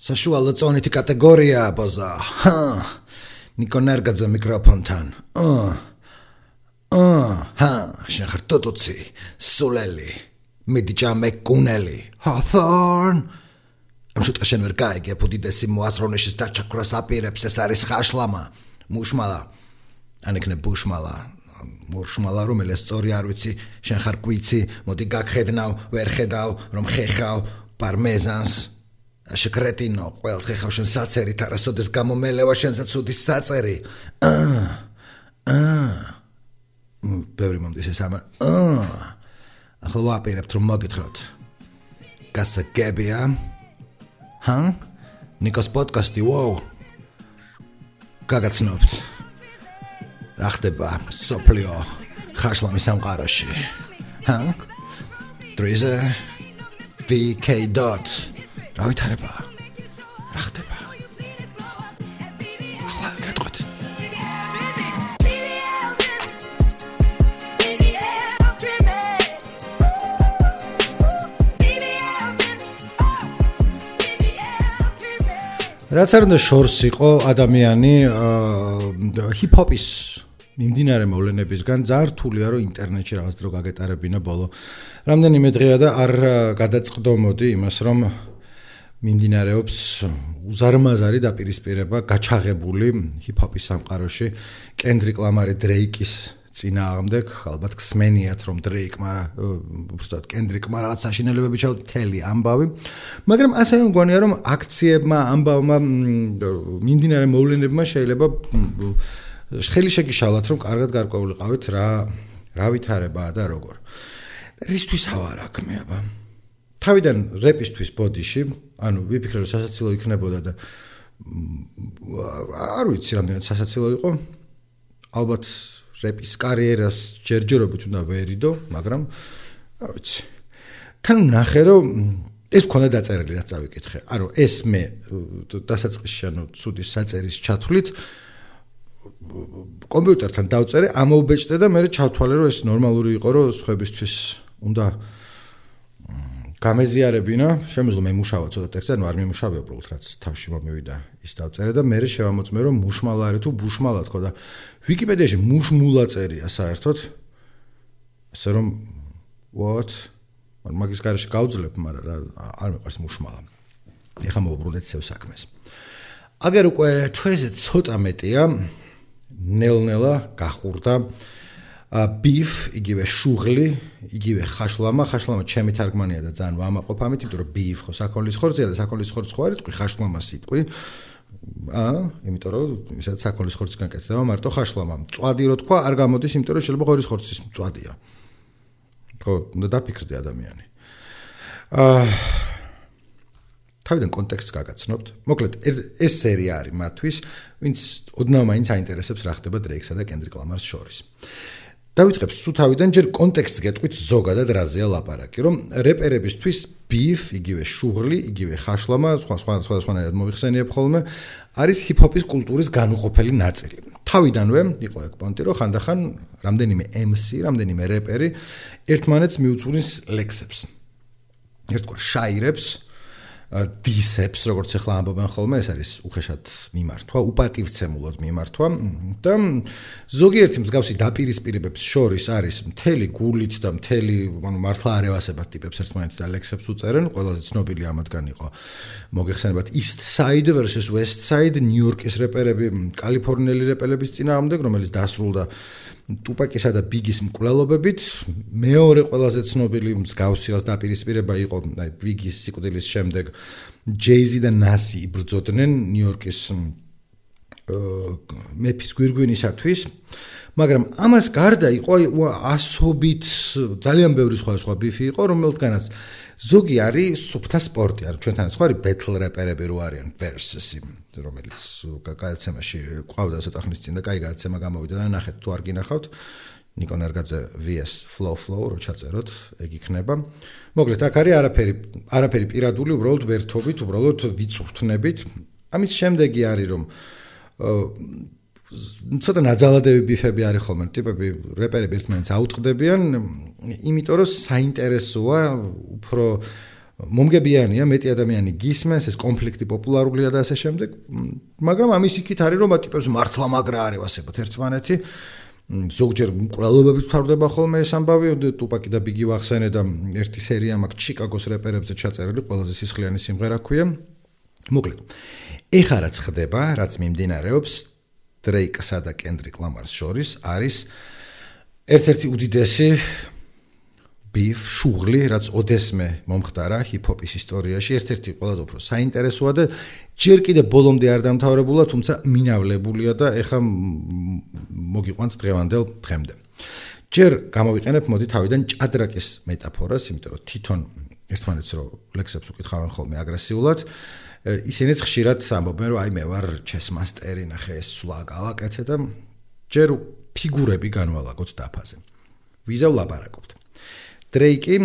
საშუალო წონითი კატეგორია, ბოზა. ნიკო ნერგაძე მიკროფონთან. შენ ხარ ტოტუცი, სულელი, მიდიჯამე კუნელი, Hawthorne. ამ შუტყა შენ ვერ გაიგებ უდიდესი მოაზროვნეშის დაჩაქვრას აპირებს, ეს არის ხაშლამა, მუშმალა, ან იქნებ ბუშმალა, მურშმალა, რომელიც სწორი არ ვიცი, შენ ხარ კვიცი, მოდი გაგხედნავ, ვერ ხედავ, რომ ხეხავ პარმეზანს. შეკრეტინო, ყველს ხეხავ შენ საცერით, არასოდეს გამომელევა შენზე ცუდი საწერი. ბევრი მომდის ეს ამა. ახლა ვაპირებთ რომ მოგითხრათ. გასაგებია? ნიკოს პოდკასტი, ვოუ. გაგაცნობთ. რა ხდება სოფლიო ხაშლამის სამყაროში? დრიზე VK. რა ვითარება? რა ხდება? ახლა გეტყვით. რაც არ უნდა შორს იყო ადამიანი ჰიპ-ჰოპის მიმდინარე მოვლენებისგან ზართულია რომ ინტერნეტში რაღაც დრო გაგეტარებინა ბოლო რამდენიმე დღეა და არ გადაწყდომოდი იმას რომ მიმდინარეობს უზარმაზარი დაპირისპირება გაჩაღებული ჰიპ-ჰოპის სამყაროში კენდრიკ ლამარი დრეიკის წინააღმდეგ ალბათ ხსმენიათ რომ დრეიკმა უბრალოდ კენდრიკმა რაღაც საშინელებები ჩაუდგა თელი ამბავი მაგრამ ასე მგონია რომ აქციებმა ამბავმა მიმდინარე მოვლენებმა შეიძლება ხელი შეგიშალათ რომ კარგად გარკვეულიყავით რა ვითარებაა და როგორ რისთვის ავარ აქ მე აბა თავიდან რეპისთვის ბოდიში ანუ ვიფიქრე რომ სასაცილო იქნებოდა და არ ვიცი რამდენად სასაცილო იყო ალბათ რეპის კარიერას ჯერჯერობით უნდა ვერიდო მაგრამ არ ვიცი თან ნახე რომ ეს მქონდა დაწერილი რაც წავიკითხე ანუ ეს მე დასაწყისში ანუ ცუდი საწერის ჩათვლით კომპიუტერთან დავწერე ამოუბეჭდე და მე ჩავთვალე რომ ეს ნორმალური იყო რომ სხვებისთვის უნდა გამეზიარებინა შემეძლო მე მუშავა ცოტა ტექსტზე ანუ არ მიმუშავე უბრალოდ რაც თავში მომივიდა ის დავწერე და მე შევამოწმე რომ მუშმალა არის თუ ბუშმალა თქო და ვიკიპედიაში მუშმულა წერია საერთოდ ასე რომ what მაგის გარშე გავძლებ მაგრამ არ მეყვარს მუშმალა ეხლა მოვუბრუნდეთ სევ საქმეს აგერ უკვე თვეზე ცოტა მეტია ნელ-ნელა გახურდა beef იგივე შუღლი იგივე ხაშლამა ჩემი თარგმანია და ძალიან ვამაყობ ამით იმიტომ რომ beef ხო საქონლის ხორცია და საქონლის ხორცი ხო არის თქვი ხაშლამა სიტყვი იმიტომ რომ ისეთ საქონლის ხორცისგან კეთდება მარტო ხაშლამა მწვადი რო თქვა არ გამოდის იმიტომ რომ შეიძლება ღორის ხორცის მწვადია ხო და დაფიქრდი ადამიანი თავიდან კონტექსტს გაგაცნობთ მოკლედ ეს სერია არის მათთვის ვინც ოდნავ მაინც აინტერესებს რა ხდება დრეიკსა და კენდრიკ ლამარს შორის დავიწყებ სულ თავიდან ჯერ კონტექსტს გეტყვით ზოგადად რაზეა ლაპარაკი რომ რეპერებისთვის beef იგივე შუღლი იგივე ხაშლამა სხვადასხვანაირად მოიხსენიებ ხოლმე არის ჰიპ-ჰოპის კულტურის განუყოფელი ნაწილი თავიდანვე იყო ეგ პონტი რომ ხანდახან რამდენიმე MC რამდენიმე რეპერი ერთმანეთს მიუძღვნის ლექსებს ერთგვარ შაირებს დისებს როგორც ახლა ამბობენ ხოლმე ეს არის უხეშად მიმართვა უპატივცემულოდ მიმართვა და ზოგიერთი მსგავსი დაპირისპირებებს შორის არის მთელი გულით და მთელი ანუ მართლა არევასებად ტიპებს ერთმანეთს და ლექსებს უწერენ ყველაზე ცნობილი ამათგან იყო მოგეხსენებათ East Side versus West Side ნიუ-იორკის რეპერები კალიფორნიელი რეპერების წინააღმდეგ რომელიც დასრულდა ტუპაკისა და ბიგის მკვლელობებით მეორე ყველაზე ცნობილი მსგავსი დაპირისპირება იყო ბიგის სიკვდილის შემდეგ ჯეიზი და ნასი იბრძოდნენ ნიუ-იორკის მეფის გვირგვინისათვის მაგრამ ამას გარდა იყო ასობით ძალიან ბევრი სხვა ბიფი იყო რომელთგანაც ზოგი არის სუფთა სპორტი არ ჩვენთანაც ხო არის ბეთლ რეპერები რო არიან versus-ი რომელიც გააცემაში ყავდა ცოტა ხნის წინ და კაი გააცემა გამოვიდა და ნახეთ თუ არ გინახავთ ნიკო ნერგაძე VS Flow რო ჩაწეროთ ეგ იქნება მოკლედ აქ არის არაფერი პირადული უბრალოდ ვერთობით უბრალოდ ვიწურთნებით ამის შემდეგი არის რომ ცოტა ნაძალადები ბიფები არის ხოლმე ტიპები რეპერები ერთმანეთს აუტყდებიან იმიტომ რომ საინტერესოა უფრო მომგებიანია მეტი ადამიანი გისმენს ეს კონფლიქტი პოპულარულია და ასე შემდეგ მაგრამ ამის იქით არის რომ ტიპებს მართლა მაგრა არ ევასებოთ ერთმანეთი ზოგჯერ მკვლელობებით ფარდება ხოლმე ეს ამბავი ტუპაკი და ბიგი ვახსენე და ერთი სერია მაქვს ჩიკაგოს რეპერებზე ჩაწერილი ყველაზე სისხლიანი სიმღერა ქვია მოკლედ ეხლა რაც ხდება რაც მიმდინარეობს დრეიკსა და კენდრიკ ლამარს შორის არის ერთ-ერთი უდიდესი ბიფ შუღლი რაც ოდესმე მომხდარა ჰიპ-ჰოპის ისტორიაში ერთ-ერთი ყველაზე უფრო საინტერესოა და ჯერ კიდევ ბოლომდე არ დამთავრებულა თუმცა მინავლებულია და ეხა მოგიყვანთ დღევანდელ დღემდე ჯერ გამოვიყენებ მოდი თავიდან ჭადრაკის მეტაფორას იმიტომ რომ თვითონ ერთმანეთს რო ლექსებს უკითხავენ ხოლმე აგრესიულად ისინიც ხშირად ამბობენ რომ აი მე ვარ ჩეს მასტერი ნახე ეს სულ გავაკეთე და ჯერ ფიგურები განვალაგოთ დაფაზე ვიზა ვლაპარაკობთ დრეიკი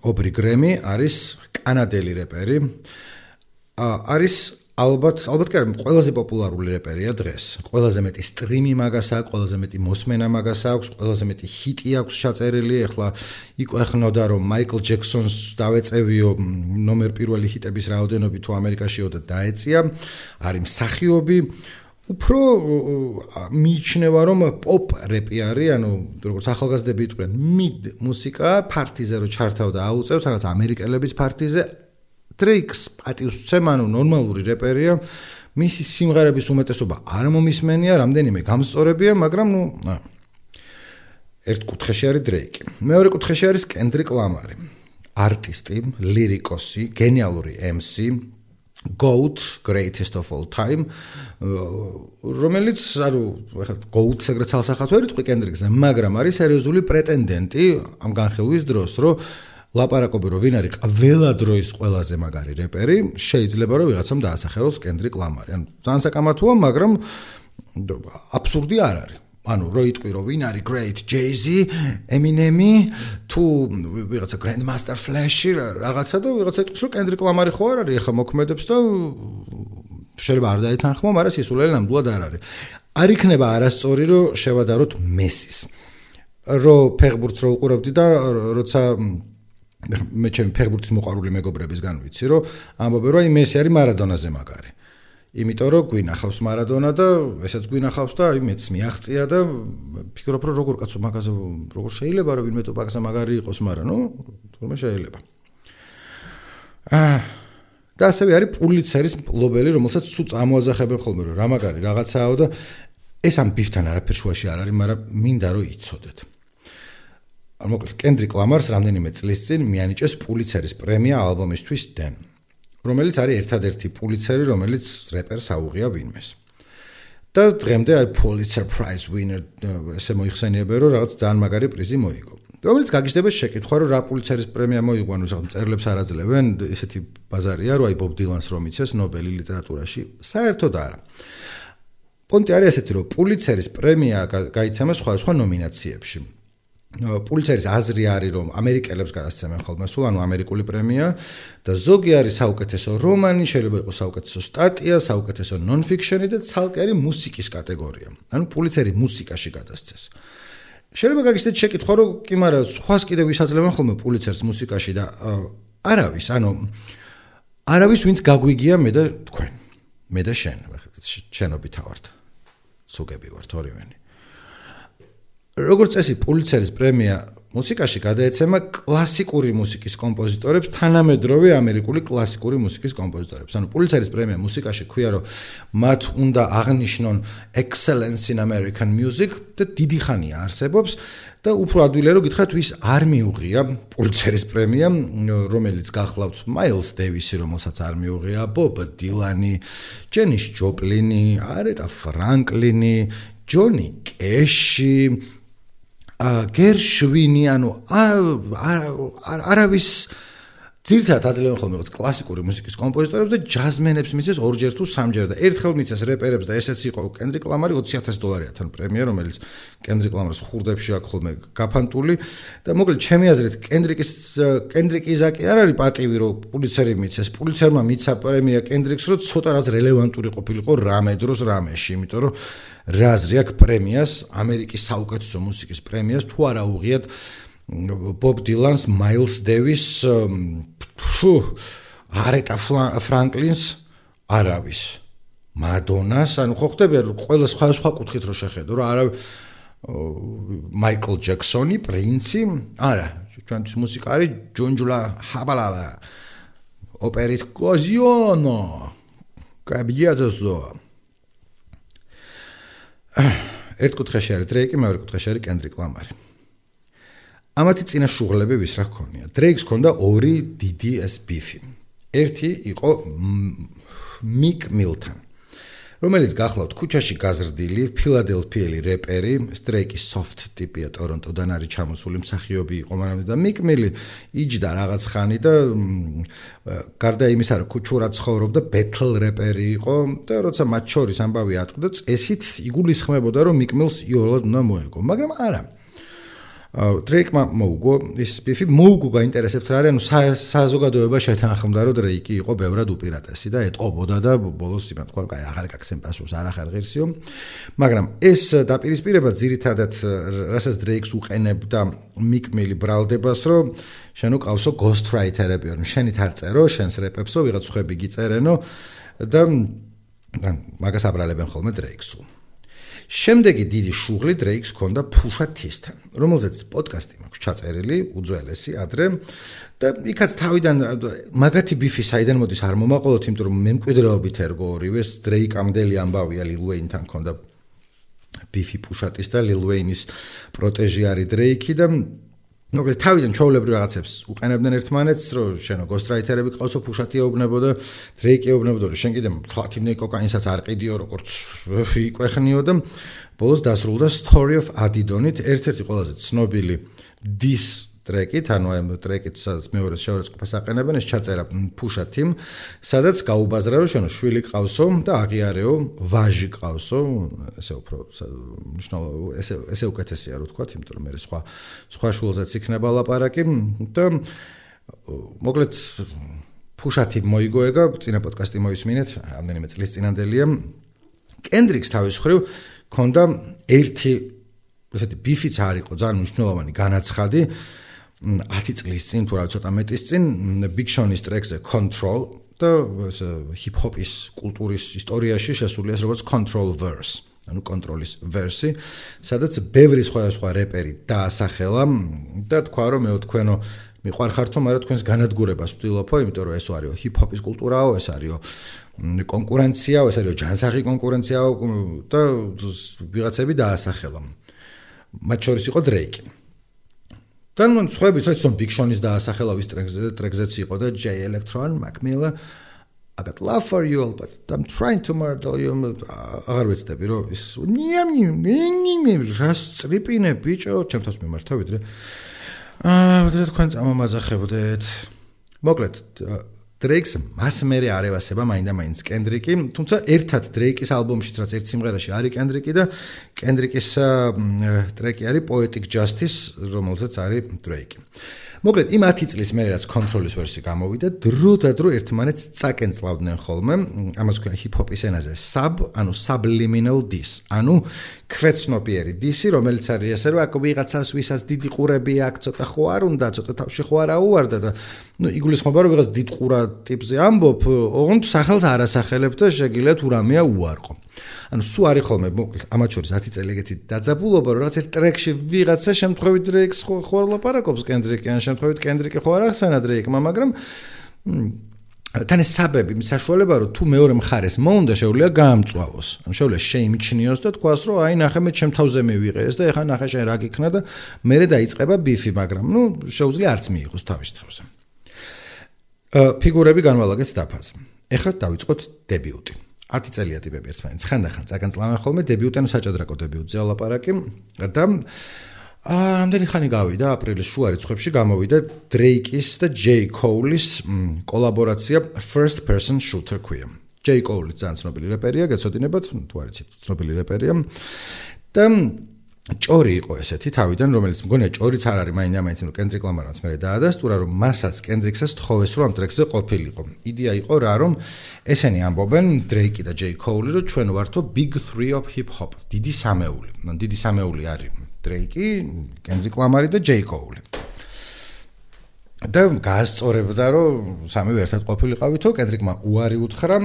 ობრი გრემი არის კანადელი რეპერი არის ალბათ კი არა ყველაზე პოპულარული რეპერია დღეს ყველაზე მეტი სტრიმი მაგას აქვს ყველაზე მეტი მოსმენა მაგას აქვს ყველაზე მეტი ჰიტი აქვს ჩაწერილი ეხლა იყვეხნოდა რომ მაიკლ ჯექსონს დავეწევიო ნომერ პირველი ჰიტების რაოდენობით თუ ამერიკაშიო და დაეწია არის მსახიობი უფრო მიიჩნევა რომ პოპ რეპი არის ანუ როგორც ახალგაზრდები იტყვიან მიდ მუსიკა ფარტიზე რო ჩართავდა აუწევს რაღაც ამერიკელების ფარტიზე დრეიქს პატივს ვცემ ანუ ნორმალური რეპერია მისი სიმღერების უმეტესობა არ მომისმენია რამდენიმე გამსწორებია მაგრამ ნუ ერთ კუთხეში არის დრეიკი მეორე კუთხეში არის კენდრიკ ლამარი არტისტი ლირიკოსი გენიალური MC GOAT, greatest of all time, რომელიც ანუ ახლა GOAT-ს ეგრეთ ცალსახად ვერ იტყვი კენდრიკზე, მაგრამ არის სერიოზული პრეტენდენტი ამ განხილვის დროს, რომ ლაპარაკობენ რომ ვინ არის ყველა დროის ყველაზე მაგარი რეპერი, შეიძლება რომ ვიღაცამ დაასახელოს კენდრიკ ლამარი. ანუ ძალიან საკამათოა, მაგრამ აბსურდი არ არის. ანუ რო იტყვი რომ ვინ არის great Jay-Z, Eminem-ი, თუ ვიღაცა Grandmaster Flash-ი რაღაცა და ვიღაცა იტყვის რომ კენდრიკ ლამარი ხო არ არის, ეხა მოქმედებს და შეიძლება არ დაეთანხმო, მაგრამ სისულელი ნამდვილად არ არის. არ იქნება არასწორი რომ შევადაროთ მესის. რო ფეხბურთს რო უყურებდი და როცა მე ჩემი ფეხბურთის მოყვარული მეგობრებისგან ვიცი რომ ამბობენ რომ აი მესი არის მარადონაზე მაგარი. იმიტომ რომ გვინახავს მარადონა და ესაც გვინახავს და აი მეც მიაღწია და ფიქრობ რომ როგორ კაცო მაგაზე როგორ შეიძლება რომ ვინმე ტუპაკსა მაგარი იყოს მაგრამ ნუ თურმე შეიძლება და ასევე არის პულიცერის მფლობელი რომელსაც სულ წამოაძახებენ ხოლმე რომ რა მაგარი რაღაცაო და ეს ამ ბიფთან არაფერ შუაში არ არის მაგრამ მინდა რომ იცოდეთ მოკლედ კენდრიკ ლამარს რამდენიმე წლის წინ მიანიჭეს პულიცერის პრემია ალბომისთვის დენ რომელიც არის ერთადერთი პულიცერი, რომელიც რეპერს აუღია ვინმეს. და დღემდე არის Pulitzer Prize winner, ესე მოიხსენიებენ, რომ რაღაც ძალიან მაგარი პრიზი მოიგო. რომელიც გაგიჟდება შეკითხვა, რომ რა პულიცერის პრემია მოიგო, ანუ რაღაც მწერლებს არ აძლევენ, ესეთი ბაზარია, რომ აი ბობ დილანს რომ იცეს ნობელი ლიტერატურაში, საერთოდ არა. პონტი არის ესეთი, რომ პულიცერის პრემია გაიცემა სხვადასხვა ნომინაციებში. პულიცერის აზრი არის რომ ამერიკელებს გადასცემენ ხოლმე სულ ანუ ამერიკული პრემია და ზოგი არის საუკეთესო რომანი, შეიძლება იყოს საუკეთესო სტატია, საუკეთესო non-fiction-ი და ცალკე არის მუსიკის კატეგორია. ანუ პულიცერი მუსიკაში გადასცეს. შეიძლება გაგიჩნდეთ შეკითხვა რომ კი მაგრამ სხვას კიდევ ვისაძლებენ ხოლმე პულიცერს მუსიკაში და არავის, ანუ არავის ვინც გაგვიგია მე და თქვენ. მე და შენ, შენობით ვართ. სუგები ვართ ორივენი. როგორც წესი პულიცერის პრემია მუსიკაში გადაეცემა კლასიკური მუსიკის კომპოზიტორებს თანამედროვე ამერიკული კლასიკური მუსიკის კომპოზიტორებს. ანუ პულიცერის პრემია მუსიკაში ქვია რომ მათ უნდა აღნიშნონ excellence in American music და დიდი ხანია არსებობს და უფრო ადვილია რომ გითხრათ ვის არ მიუღია პულიცერის პრემია რომელიც გახლავთ მაილს დევისი რომელსაც არ მიუღია ბობ დილანი, ჯენის ჯოპლინი, არეთა ფრანკლინი, ჯონი კეში გერშვინი ანუ არავის ძირითადად აძლევენ ხოლმე რაღაც კლასიკური მუსიკის კომპოზიტორებს და ჯაზმენებს მისცეს ორჯერ თუ სამჯერ და ერთხელ მისცეს რეპერებს და ესეც იყო კენდრიკ ლამარი $20,000 პრემია რომელიც კენდრიკ ლამარს ხურდებში აქვს ხოლმე გაფანტული და მოკლედ ჩემი აზრით კენდრიკ იზაკი არ არის პატივი რომ პულიცერი მისცეს პულიცერმა მიცა პრემია კენდრიქს რომ ცოტა რაც რელევანტური ყოფილიყო რამე დროს რამეში იმიტომ რომ რა აზრი აქვს პრემიას ამერიკის საუკეთესო მუსიკის პრემიას თუ არ აუღიათ ბობ დილანს, მაილს დევის, არეთა ფრანკლინს არავის მადონას ანუ ხო ხდება ყველა სხვა კუთხით რო შეხედო რა არა მაიკლ ჯექსონი პრინცი არა ჩვენთვის მუსიკა არის ჯუნჯულა ჰაბალალა ოპერით კოზიონო კაბიატოზო ერთ კუთხეში არის დრეიკი მეორე კუთხეში არის კენდრიკ ლამარი ამათი წინა შუღლები ვის რა ჰქონია დრეიკს ჰქონდა ორი დიდი ეს ბიფი ერთი იყო მიკ მილთან რომელიც გახლავთ ქუჩაში გაზრდილი ფილადელფიელი რეპერი დრეიკის soft ტიპია ტორონტოდან არის ჩამოსული მსახიობი იყო მანამდე და მიკ მილი იჯდა რაღაც ხანი და გარდა იმისა რომ ქუჩურად ცხოვრობდა ბეთლ რეპერი იყო და როცა მათ შორის ამბავი ატყდა წესით იგულისხმებოდა რომ მიკ მილს იოლად უნდა მოეგო მაგრამ არა დრეიკმა მოუგო ის ბიფი მოუგო გაინტერესებთ რა არის ანუ საზოგადოება შეთანხმდა რომ დრეიკი იყო ბევრად უპირატესი და ეტყობოდა და ბოლოს იმან თქვა რომ კაი აღარ გაქცენ პასუხს არ ახარ ღირსიო მაგრამ ეს დაპირისპირება ძირითადად რასაც დრეიკს უყენებდა მიკ მილი ბრალდებას რომ შენ უყავსო გოსტრაითერები რომ შენით არ წერო შენს რეპებსო ვიღაც ხვები გიწერენო და მაგას აბრალებენ ხოლმე დრეიკს შემდეგი დიდი შუღლი დრეიკს ჰქონდა ფუშა თისთან, რომელზეც პოდკასტი მაქვს ჩაწერილი, უძველესი ადრე და იქაც თავიდან მაგათი ბიფი საიდან მოდის არ მომაყოლოთ, იმიტომ რომ მემკვიდრეობით ერგო ორივეს დრეიკამდელი ამბავია ლილ ვეინთან ჰქონდა ბიფი ფუშატის და ლილ ვეინის პროტეჟი არის დრეიკი და მოკლედ თავიდან ჩაოლებრივ რაღაცებს უყენებდნენ ერთმანეთს, რომ შენო გოსტრაითერები ყავსო ფუშატი ეუბნებოდა, დრეიკი ეუბნებოდა, რომ შენ კიდე თლათინე კოკაინსაც არ ყიდიო, როგორც იყვეხნიო და ბოლოს დასრულდა Story of Adidonit, ერთ-ერთი ყველაზე ცნობილი dis ტრეკით, ანუ ამ ტრეკით, სადაც მეორე შეურაცხყოფას აყენებენ, ეს ჩაწერა ფუშატიმ, სადაც გაუბაზრა, რომ შენო შვილი ყავსო და აღიარეო ვაჟი ყავსო, ესე უფრო მნიშვნელოვანი, ესე უკეთესია რო თქვა, იმიტომ რომ მე სხვა შულზეც იქნება ლაპარაკი და მოკლედ ფუშატიმ მოიგოეგა, წინა პოდკასტი მოისმინეთ, რამდენიმე წლის წინანდელია. კენდრიქს თავის მხრივ ჰქონდა ერთი ესეთი ბიფიც არ იყო, ძალიან მნიშვნელოვანი განაცხადი 10 წლის წინ თუ რა ცოტა მეტის წინ Big Sean-ის ტრეკზე Control და ჰიპ-ჰოპის კულტურის ისტორიაში შესულია როგორც Control verse, ანუ კონტროლის ვერსი, სადაც ბევრი სხვა რეპერი დაასახელა და თქვა რომ მეო თქვენო მიყვარხართო, მაგრამ თქვენს განადგურებას ვთვლილობო, იმიტომ რომ ეს არის ჰიპ-ჰოპის კულტურაო, ეს არის კონკურენციაო, ეს არის ჯანსაღი კონკურენციაო და ვიღაცები დაასახელა. მათ შორის იყო დრეიკი. და ნუ სხვაები საერთოდ Big Sean-ის დაასახელავის ტრეკზეც იყო და J Electron, Mac Miller, I got love for you all, but I'm trying to murder you. აღარ ვეცდები რომ ის რას წრიპინე ბიჭო, ჩემთვის მიმართა ვიდრე თქვენ წამომაძახებდეთ. მოკლედ დრეიკს მას მერე არ ევასება მაინდა-მაინც კენდრიკი, თუმცა ერთად დრეიკის ალბომშიც რაც ერთ სიმღერაში არის კენდრიკი და კენდრიკის ტრეკი არის Poetic Justice, რომელზეც არის დრეიკი. მოკლედ იმ 10 წლის მერე რაც Control-ის ვერსი გამოვიდა, დრო და დრო ერთმანეთს წაკენწლავდნენ ხოლმე, ამას ქვია ჰიპ-ჰოპის ენაზე sub, ანუ subliminal diss, ანუ ქვეცნობიერი დისი, რომელიც არის ესე რომ აქ ვიღაცას ვისაც დიდი ყურები აქვს, ცოტა ხო არ უნდა, ცოტა თავში ხო არ აუვარდა და ნუ იგულისხმება რომ ვიღაც დიდ ყურა ტიპზე ამბობ, ოღონდ სახელს არ ასახელებ და შეგიძლიათ ურამია უარყო. ანუ სულ არის ხოლმე ამათ შორის 10 წელი ეგეთი დაძაბულობა, რომ რაც ერთ ტრეკში ვიღაცა შემთხვევით დრეიკს ხო არ ლაპარაკობს კენდრიკი, ან შემთხვევით კენდრიკი ხო არ ახსენა დრეიკმა, მაგრამ თან ეს საბები საშუალება რომ თუ მეორე მხარეს მოუნდა შეუძლია გაამწვავოს. ანუ შეუძლია შეიმჩნიოს და თქვას რომ აი ნახე მე ჩემ თავზე მივიღეს და ეხლა ნახე შენ რა გიქნა და მერე დაიწყება ბიფი, მაგრამ ნუ შეუძლია არც მიიღოს თავის თავზე. ფიგურები განვალაგეთ დაფაზე. ეხლა დავიწყოთ დებიუტი. 10 წელია ტიპები ერთმანეთს ხანდახან წაგანწლავენ ხოლმე დებიუტი, ანუ საჭადრაკო დებიუტზე ლაპარაკი და რამდენი ხანი გავიდა, აპრილის შუა რიცხვებში გამოვიდა დრეიკის და J Cole-ის კოლაბორაცია First Person Shooter ქვია. J Cole ძალიან ცნობილი რეპერია, გეცოდინებათ, თუ არ იცით, ცნობილი რეპერია და ჭორი იყო ესეთი თავიდან, რომელიც მგონია ჭორიც არ არის მაინდა-მაინც, რომ კენდრიკ ლამარს მერე დაადასტურა, რომ მასაც კენდრიქსას თხოვეს, რომ ამ ტრეკზე ყოფილიყო. იდეა იყო რა, რომ ესენი ამბობენ დრეიკი და J Cole, რომ ჩვენ ვართო Big 3 of Hip Hop, დიდი სამეული. დიდი სამეული არის დრეიკი, კენდრიკ ლამარი და J Cole. და გაასწორებდა რომ სამივე ერთად ყოფილიყავითო, კენდრიკმა უარი უთხრა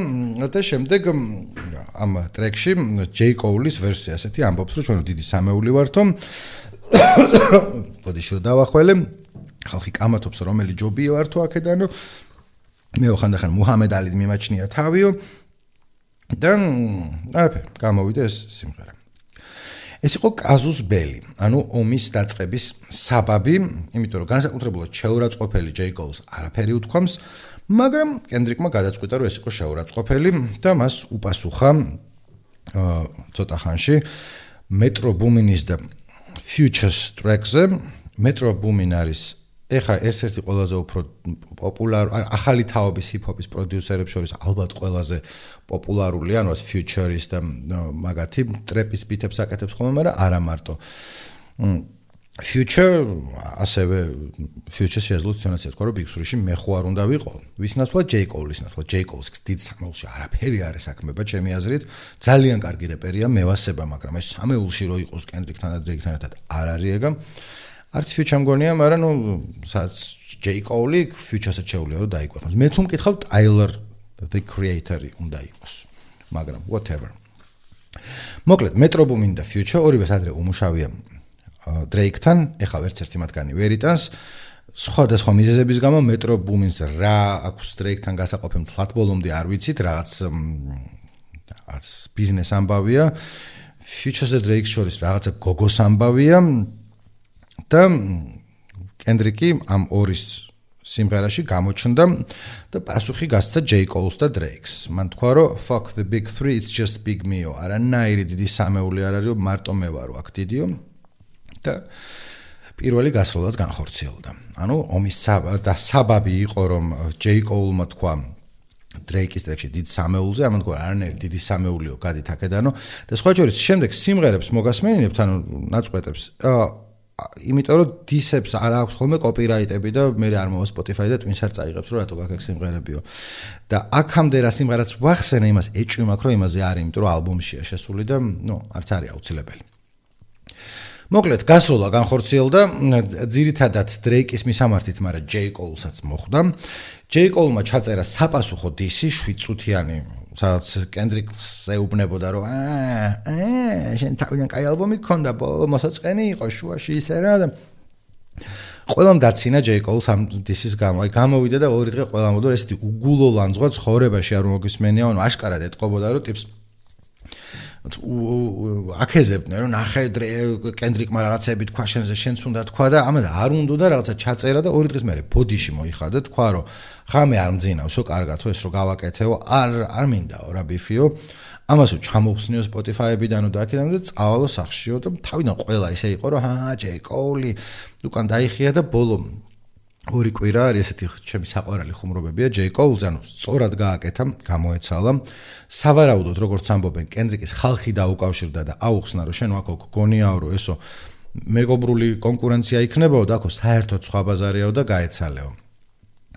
და შემდეგ ამ ტრეკში ჯეი კოულის ვერსია ასეთი ამბობს რომ ჩვენ დიდი სამეული ვართო. ბოდიში რომ დავახველე, ხალხი კამათობს რომელი ჯობია ვართო აქედანო. მე ხანდახან მუჰამედ ალი მიმაჩნია თავიო და არაფერი, გამოვიდა ეს სიმღერა. ეს იყო კაზუს ბელი, ანუ ომის დაწყების საბაბი, იმიტომ რომ განსაკუთრებულად შეურაცხყოფელი ჯეი კოულს არაფერი უთქვამს, მაგრამ კენდრიკმა გადაწყვიტა რომ ეს იყო შეურაცხყოფელი და მას უპასუხა ცოტა ხანში მეტრო ბუმინის და Futures ტრეკზე. მეტრო ბუმინ არის ეხა ერთ-ერთი ყველაზე უფრო პოპულარული ახალი თაობის ჰიპ-ჰოპის პროდიუსერებს შორის ალბათ ყველაზე პოპულარული, ანუ ეს Futures და მაგათი ტრეპის ბიტებს აკეთებს ხოლმე, მაგრამ არა მარტო. Future ასევე Futures შეძლო თვითონაც ეთქვა, რომ Big 3-ში მე ხო არ უნდა ვიყო. ვის ნაცვლად ჯეი კოულის ნაცვლად. ჯეი კოულს დიდ სამეულში არაფერი არ ესაქმება ჩემი აზრით. ძალიან კარგი რეპერია, მევასება, მაგრამ ეს სამეულში რო იყოს კენდრიკთან და დრეიკთან ერთად არ არის ეგა. არც Future მგონია, მაგრამ ნუ სადაც ჯეი კოული Future-საც შეუძლია რომ დაიკვეხოს. მე თუ მკითხავ Tyler the Creator-ი უნდა იყოს. მაგრამ whatever. მოკლედ, Metro Boomin და Future ორივეს ადრე უმუშავია დრეიკთან, ეხლა ვერც ერთი მათგანი ვერ იტანს. სხვადასხვა მიზეზების გამო Metro Boomins რა აქვს დრეიკთან გასაყოფი მთლად ბოლომდე არ ვიცით, რაღაც ბიზნეს ამბავია. Future-ს და დრეიკს შორის რაღაცა გოგოს ამბავია. და კენდრიკი ამ ორის სიმღერაში გამოჩნდა და პასუხი გასცა ჯეი კოულს და დრეიკს. მან თქვა რომ fuck the big 3, it's just big me-ო. არანაირი დიდი სამეული არ არის, მარტო მე ვარო აქ დიდიო. და პირველი გასროლაც განხორციელდა. ანუ ომის საბაბი იყო რომ ჯეი კოულმა თქვა დრეიკის ტრეკში დიდ სამეულზე, ამან თქვა არანაირი დიდი სამეულიო გადით აქედანო და სხვა შორის შემდეგ სიმღერებს მოგასმენინებთ, ანუ ნაწყვეტებს იმიტომ რომ დისებს არ აქვს ხოლმე კოპირაიტები და მე არ მოვა Spotify და Twins არ წაიღებს რომ რატო გაქ სიმღერებიო. და აქამდე რა სიმღერაც ვახსენე, იმას ეჭვი მაქვს რომ იმაზე არის, იმიტომ რომ ალბომშია შესული და არც არის აუცილებელი. მოკლედ, გასროლა განხორციელდა ძირითადად დრეიკის მისამართით, მაგრამ ჯეი კოულსაც მოხვდა. ჯეი კოულმა ჩაწერა საპასუხო დისი 7 წუთიანი, სადაც კენდრიკს ეუბნებოდა რომ შენ თავიდან კაი ალბომი გქონდა, მოსაწყენი იყო შუაში ისე რა და ყველამ დაცინა ჯეი კოულს ამ დისის გამო. აი გამოვიდა და ორი დღე ყველა მოდო ესეთი უგულო ლანძღვა ცხოვრებაში არ მოგისმენია, ანუ აშკარად ეთყობოდა რომ ტიპს აკეზებდნენ რომ ნახე კენდრიკმა რაღაცები თქვა შენზე, შენც უნდა თქვა და ამაზე არ უნდა და რაღაცა ჩაწერა და ორი დღის მერე ბოდიში მოიხადა, თქვა რომ ხამე არ მძინავსო, კარგათო ეს რო გავაკეთეო, არ მინდაო რა ბიფიო. ამასო ჩამოვხსნიო Spotify-ებიდანო და აქედან და წავალო სახშიო და თავიდან ყველა ისე იყო რომ ჯეი კოული უკან დაიხია და ბოლო ორი კვირა არის ესეთი ჩემი საყვარელი ხუმრობებია ჯეი კოულს, ანუ სწორად გააკეთა, გამოეცალა. სავარაუდოდ როგორც ამბობენ, კენდრიკის ხალხი დაუკავშირდა და აუხსნა რომ შენ აქ გონიაო რომ ესო მეგობრული კონკურენცია იქნებაო და აქ საერთოდ სხვა ბაზარიაო და გაეცალეო.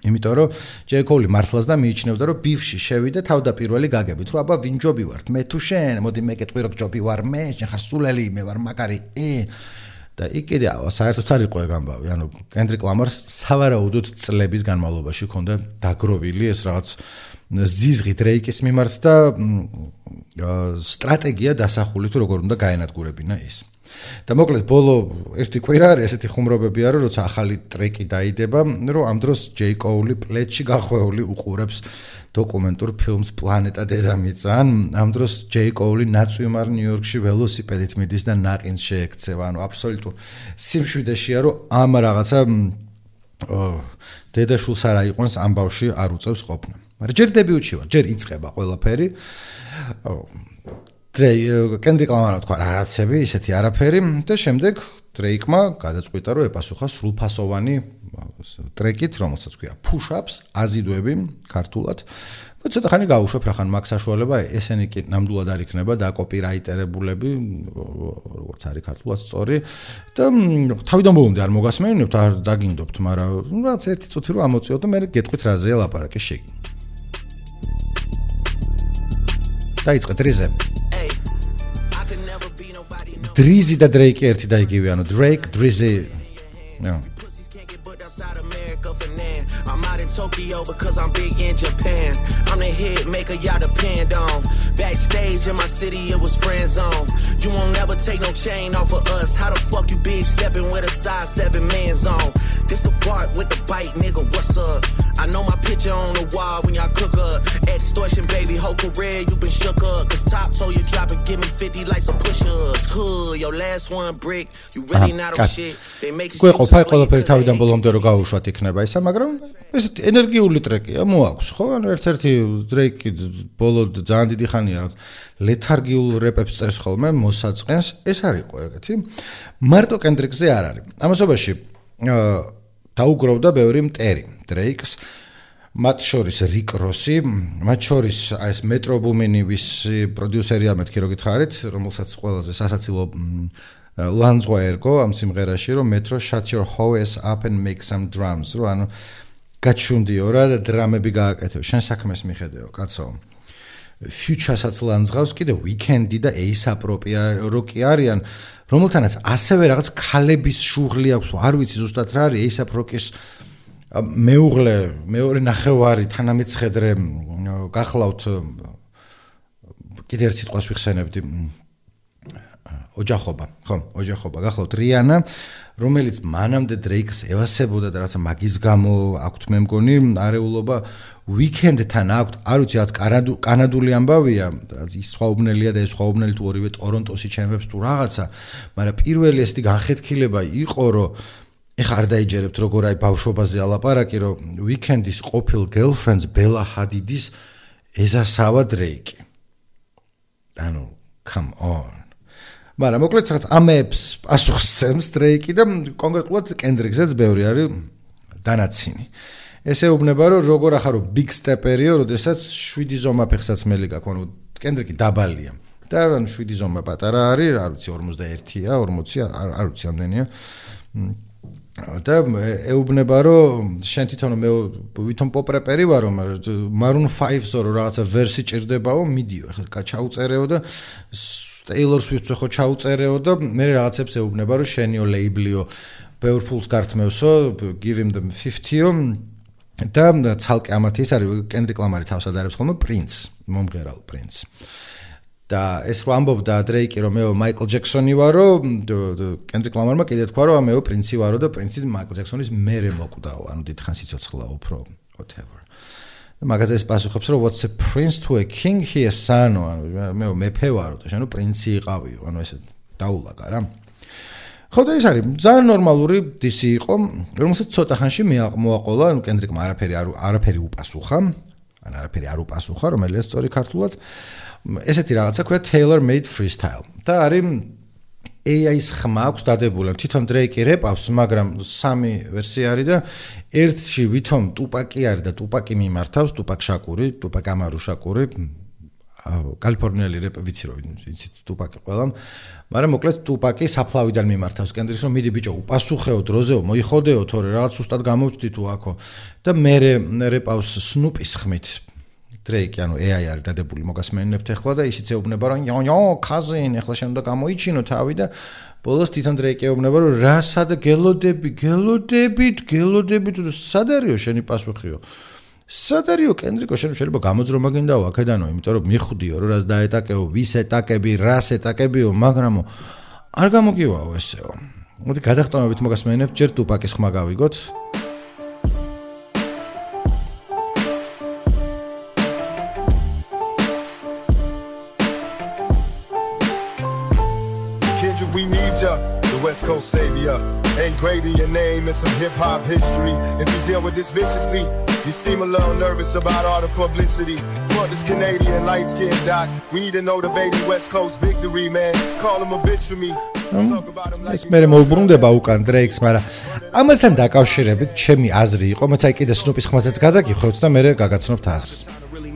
იმიტომ რომ ჯეი კოული მართლაც და მიიჩნევდა რომ ბიფში შევიდა თავდაპირველი გაგებით, რომ აბა ვინ ჯობი ვართ, მე თუ შენ, მოდი მე გეტყვი რომ ჯობი ვარ მე, შენ ხარ სულელი, მე ვარ მაგარი და იქ კიდე საერთოდ არ იყო ეგ ამბავი, ანუ კენდრიკ ლამარს სავარაუდოდ წლების განმავლობაში ჰქონდა დაგროვილი ეს რაღაც ზიზღი დრეიკის მიმართ და სტრატეგია დასახული თუ როგორ უნდა გაენადგურებინა ის. და მოკლედ ბოლო ერთი კვირა არის ესეთი ხუმრობებია რომ როცა ახალი ტრეკი დაიდება, რომ ამ დროს ჯეი კოული პლედში გახვეული უყურებს დოკუმენტურ ფილმს პლანეტა დედამიწა. ამ დროს ჯეი კოული ნაცვიმარ ნიუ-იორკში ველოსიპედით მიდის და ნაყინს შეექცევა. ანუ აბსოლუტურ სიმშვიდეშია რომ ამ რაღაცა დედაშულს არ აიყვანს ამბავში არ უწევს ყოფნა. მაგრამ ჯერ დებიუტში ვარ, ჯერ იწყება ყველაფერი. კენდრიკ ლამარმა თქვა რაღაცები, ისეთი არაფერი და შემდეგ დრეიკმა გადაწყვიტა რომ ეპასუხა სრულფასოვანი ტრეკით, რომელსაც ქვია push-ups, აზიდვები ქართულად. ცოტა ხანი გავუშვებ რა ხან მაგ საშუალება, ესენი კი ნამდვილად არ იქნება და კოპირაიტერებულები, როგორც არის ქართულად სწორი და თავიდან ბოლომდე არ მოგასმენინებთ, არ დაგინდობთ, მაგრამ რაც ერთი წუთი რომ ამოწიოთ და მე გეტყვით რაზეა ლაპარაკი შეგი. დაიწყეთ რიზე. დრიზი და დრეიკი ერთი და იგივე, ანუ დრეიკ, დრიზი. Tokyo because I'm big in Japan. I'm the hit maker y'all depend on. Backstage in my city, it was friend zone. You won't ever take no chain off of us. How the fuck you big stepping with a size 7 man zone? This the part with the bite, nigga, what's up? I know my picture on the wall when y'all cook up. Extortion, baby, whole career you been shook up. Cause Top told you drop it, give me 50 like some push-ups. Hood, your last one brick, you really not on shit. They make it seem so ყოფილი ყველაფერი თავიდან ბოლომდე რო გაუშვათ იქნება ისა, მაგრამ ეს ენერგიული ტრეკია, მოაქვს, ხო? ანუ ერთ-ერთი დრეიკი ბოლო ძალიან დიდი ხანია რაღაც ლეთარგიულ რეპებს წერს ხოლმე, მოსაწყენს, ეს არ იყო ეგეთი. მარტო კენდრიკზე არ არის. ამასობაში დაუგროვდა ბევრი მტერი დრეიკს. მათ შორის რიკ როსი, მათ შორის ეს მეტრო ბუმენივის პროდიუსერია მეთქი რო გითხარით, რომელსაც ყველაზე სასაცილო ლანძღვა ერგო ამ სიმღერაში, რომ მეტრო shut your hose up and make some drums, რომ ანუ გაჩუნდიო რა და დრამები გააკეთო, შენ საქმეს მიხედეო, კაცო. Future-საც ლანძღავს კიდე Weekend-ი და A$AP Rocky არიან, რომელთანაც ასევე რაღაც ქალების შუღლი აქვს, არ ვიცი ზუსტად რა არის A$AP Rocky-ის მეუღლე, მეორე ნახევარი თანამეცხედრე გახლავთ კიდე ერთ სიტყვას ვიხსენებდი ოჯახობა, ხო, ოჯახობა გახლავთ რიანა, რომელიც მანამდე დრეიკს ევასებოდა და რაღაცა მაგის გამო აქვთ მე მგონი არეულობა Weekend-თან აქვთ, არ ვიცი რაც კანადული ამბავია, რაც ის სხვაუბნელია და ეს სხვაუბნელი თუ ორივე ტორონტოში ჩემებს თუ რაღაცა, მაგრამ პირველი ესეთი განხეთქილება იყო, რომ ეხა არ დაიჯერებთ როგორ აი ბავშვობაზე ალაპარაკი, რომ Weekend-ის ყოფილ girlfriends Bella Hadid-ის ეზარსავა დრეიკი. ანუ come on. მაგრამ მოკლედ რაღაც ამებს პასუხს სცემს დრეიკი და კონკრეტულად კენდრიკზეც ბევრი არის დანაცინი. ესე უბნება რომ როგორ ახარო big step-ერიო, როდესაც 7 ზომა ფეხსაც მელი გაქვს, ანუ კენდრიკი დაბალია. და ანუ 7 ზომა პატარა არის, არ ვიცი 41-ია, 40-ია, არ ვიცი ამდენია. და ეუბნება რომ შენ თვითონ მე ვითომ პოპ რეპერი ვარო, Maroon 5-ს რო რაღაცა ვერსი ჭირდებაო, მიდიო, ეხლა ჩაუწერეო და Taylor Swift-ს ხო ჩაუწერეო და მე რაღაცებს ეუბნება რომ შენიო ლეიბლიო ბევრ ფულს გართმევსო, give him them 50-ო და ცალკე ამათი ის არის კენდრიკ ლამარი თავს ადარებს ხოლმე Prince, მომღერალ Prince. და ეს რო ამბობდა დრეიკი რომ მე მაიკლ ჯექსონი ვარო, კენდრიკ ლამარმა კიდე თქვა რომ მე პრინცი ვარო და პრინცი მაიკლ ჯექსონის მერე მოკვდაო, ანუ დიდხანს იცოცხლა უფრო whatever. მაგაზე ეს პასუხობს რომ what's a prince to a king he is son, ანუ მე მეფე ვარო და შენო პრინცი იყავიო, ანუ ესე დაულაგა რა. ხო და ეს არის ძალიან ნორმალური დისი იყო, რომელსაც ცოტა ხანში მოაყოლა, ანუ კენდრიკმა არაფერი უპასუხა, ან არაფერი არ უპასუხა, რომელია სწორი ქართულად. ესეთი რაღაცა ქვია tailor made freestyle. და არის AI-ის ხმა აქვს დადებული. თვითონ დრეიკი რეპავს, მაგრამ 3 ვერსია არის და ერთში ვითომ ტუპაკი არის და ტუპაკი მიმართავს, ტუპაკ შაკური, ტუპაკ ამარუ შაკური, კალიფორნიელი რეპ ვიცი რომ იცით ტუპაკი ყველამ, მაგრამ მოკლედ ტუპაკი საფლავიდან მიმართავს კენდრიკს, რომ მიდი ბიჭო, უპასუხეო დროზეო, მოიხოდეო, თორე რაღაც უსტად გამოვჭდი თუ აქო. და მე რეპავს სნუპის ხმით. დრეიკი ანუ AI არის დადებული მოგასმენებთ ახლა და ისიც ეუბნება რომ იო cousin ახლა შენ უნდა გამოიჩინო თავი და ბოლოს თვითონ დრეიკი ეუბნება რომ რა სად გელოდებით სად არისო შენი პასუხიო სად არისო კენდრიკო შენ შეიძლება გამოძრომა გინდაო აქედანო იმიტომ რომ მიხვდიო რომ რას დაეტაკეო ვის ეტაკები რას ეტაკებიო მაგრამ არ გამოგივაო ესეო მოდი გადახტომებით მოგასმენებთ ჯერ ტუპაკის ხმა გავიგოთ We need ya, the West Coast savior. Ain't great in your name and some hip-hop history. If you deal with this viciously, you seem a little nervous about all the publicity. For this Canadian light-skinned doc, we need to know the baby West Coast victory, man. Call him a bitch for me. ეს მე მოუბრუნდება უკან დრეიქს, მაგრამ ამასთან დაკავშირებით ჩემი აზრი იყო, მოცა კიდე სნუპის ხმასაც გადაგიხოთ და მე გაგაცნობთ აზრს.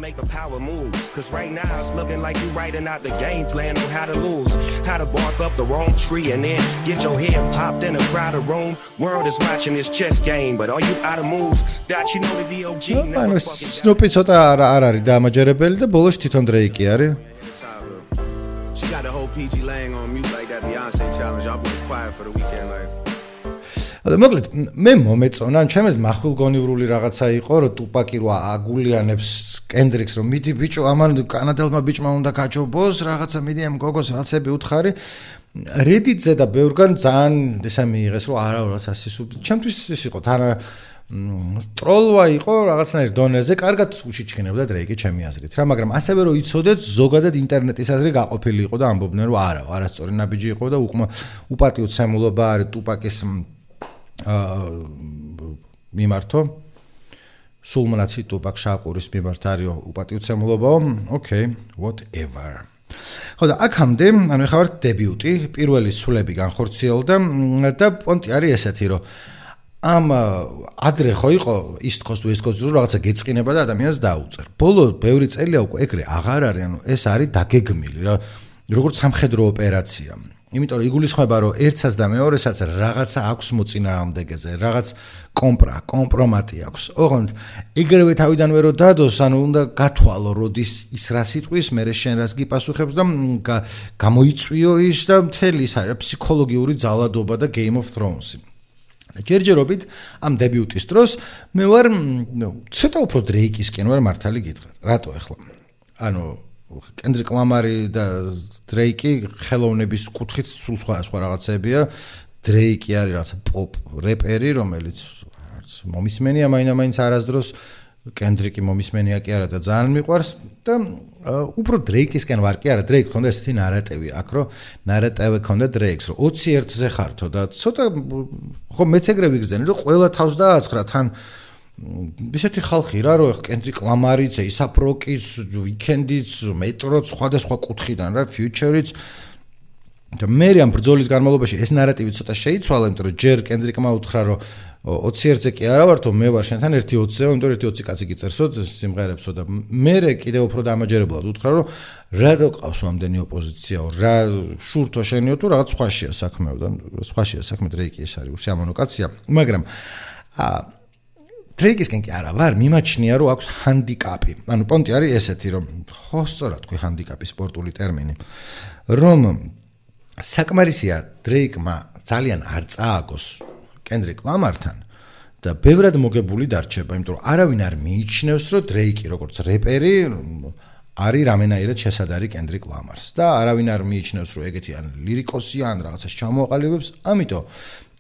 Make a power move, cause right now it's looking like you writing out the game plan on how to lose, how to bark up the wrong tree and then get your head popped in a crowded room. World is watching this chess game, but are you out of moves? That you know the DOG never fucking Snoopy ცოტა არ არის დამაჯერებელი და ბოლოს თვითონ დრეიკი არის. She got the whole PG laying on mute like that Beyonce challenge. Y'all boys quiet for the weekend like. მოკლედ მე მომეწონა, ჩემს მახვილგონივრული რაღაცა იყო, რომ ტუპაკი რო აგულიანებს კენდრიქს, რომ მიდი ბიჭო, ამან კანადელმა ბიჭმა უნდა გაჯობოს, რაღაცა მიდი ამ გოგოს რაცები უთხარი. Reddit-ზე და ბევრგან ძალიან ესა მიიღეს, რომ არა, რასაც ჩემთვის ის იყო, თან ტროლვა იყო რაღაცნაირ დონეზე, კარგად უშიჩქინებდა დრეიკი ჩემი აზრით რა, მაგრამ ასევე რომ იცოდეთ, ზოგადად ინტერნეტის აზრი გაყოფილი იყო და ამბობდნენ, რომ არა, არასწორი ნაბიჯი იყო და უპატიოცემულობა არის ტუპაკის მიმართო სულმანაცი ტუპაკ შაყურის მიმართ არის უპატიოცემულობაო, okay, whatever. ხო და აქამდე, ანუ ეხლა ვარ დებიუტი, პირველი სულები განხორციელდა და პონტი არის ესეთი, რომ ამ ადრე ხო იყო East Coast West Coast რო რაღაცა გეწყინება და ადამიანს დაუწერ. ბოლო ბევრი წელია უკვე ეგრე აღარ არის, ანუ ეს არის დაგეგმილი რა, როგორც სამხედრო ოპერაცია. იმიტომ რომ იგულისხმება რომ ერთსაც და მეორესაც რაღაცა აქვს მოწინააღმდეგეზე, რაღაც კომპრომატი აქვს. ოღონდ ეგრევე თავიდანვე რო დადოს, ანუ უნდა გათვალო როდის ის რა სიტყვის, მე შენ რას გიპასუხებს და გამოიწვიო ის და მთელი ის არის ფსიქოლოგიური ძალადობა და Game of Thrones. ჯერჯერობით ამ დებიუტის დროს მე ვარ ცოტა უფრო დრეიკისკენ ვარ მართალი გითხრათ. რატო ახლა? ანუ კენდრიკ ლამარი და დრეიკი ხელოვნების კუთხით სულ სხვა რაღაცებია. დრეიკი არის რაღაც პოპ რეპერი, რომელიც მომისმენია მაინც არასდროს, კენდრიკი მომისმენია კი არა და ძალიან მიყვარს და უფრო დრეიკისკენ ვარ კი არა, დრეიკს ქონდა ესეთი ნარატივი აქ, რომ ნარატივი ქონდა დრეიკს, რომ 21-ზე ხართო და ცოტა ხო მეც ეგრე ვიგრძენი, რომ ყველა თავს დააცხრა თან ისეთი ხალხი რა, რომ კენდრიკ ლამარიც, ისაპ როკიც, ვიკენდიც, მეტროც, სხვადასხვა კუთხიდან რა, ფიუჩერიც და მე ამ ბრძოლის განმავლობაში ეს ნარატივი ცოტა შეიცვალა, იმიტომ რომ ჯერ კენდრიკმა უთხრა, რომ 21-ზე კი არა ვართო, მე ვარ შენთან 1-20-ზე, იმიტომ რომ 1-20 კაცი გიწერსო სიმღერებსო და მე კიდევ უფრო დამაჯერებლად უთხრა, რომ რატო ყავს ამდენი ოპოზიციაო, რა შურთო შენიო თუ რაღაც სხვაშია საქმეო და სხვაშია საქმე დრეიკი ეს არის უსიამოვნო კაცია, მაგრამ დრეიკისკენ კი არა ვარ, მიმაჩნია რომ აქვს ჰანდიკაპი. ანუ პონტი არის ესეთი, რომ ხო სწორად თქვი ჰანდიკაპი სპორტული ტერმინი, რომ საკმარისია დრეიკმა ძალიან არ წააგოს კენდრიკ ლამართან და ბევრად მოგებული დარჩება, იმიტომ რომ არავინ არ მიიჩნევს, რომ დრეიკი როგორც რეპერი არის რამენაირად შესადარი კენდრიკ ლამარს და არავინ არ მიიჩნევს, რომ ეგეთი ან ლირიკოსი ან რაღაცას ჩამოაყალიბებს, ამიტომ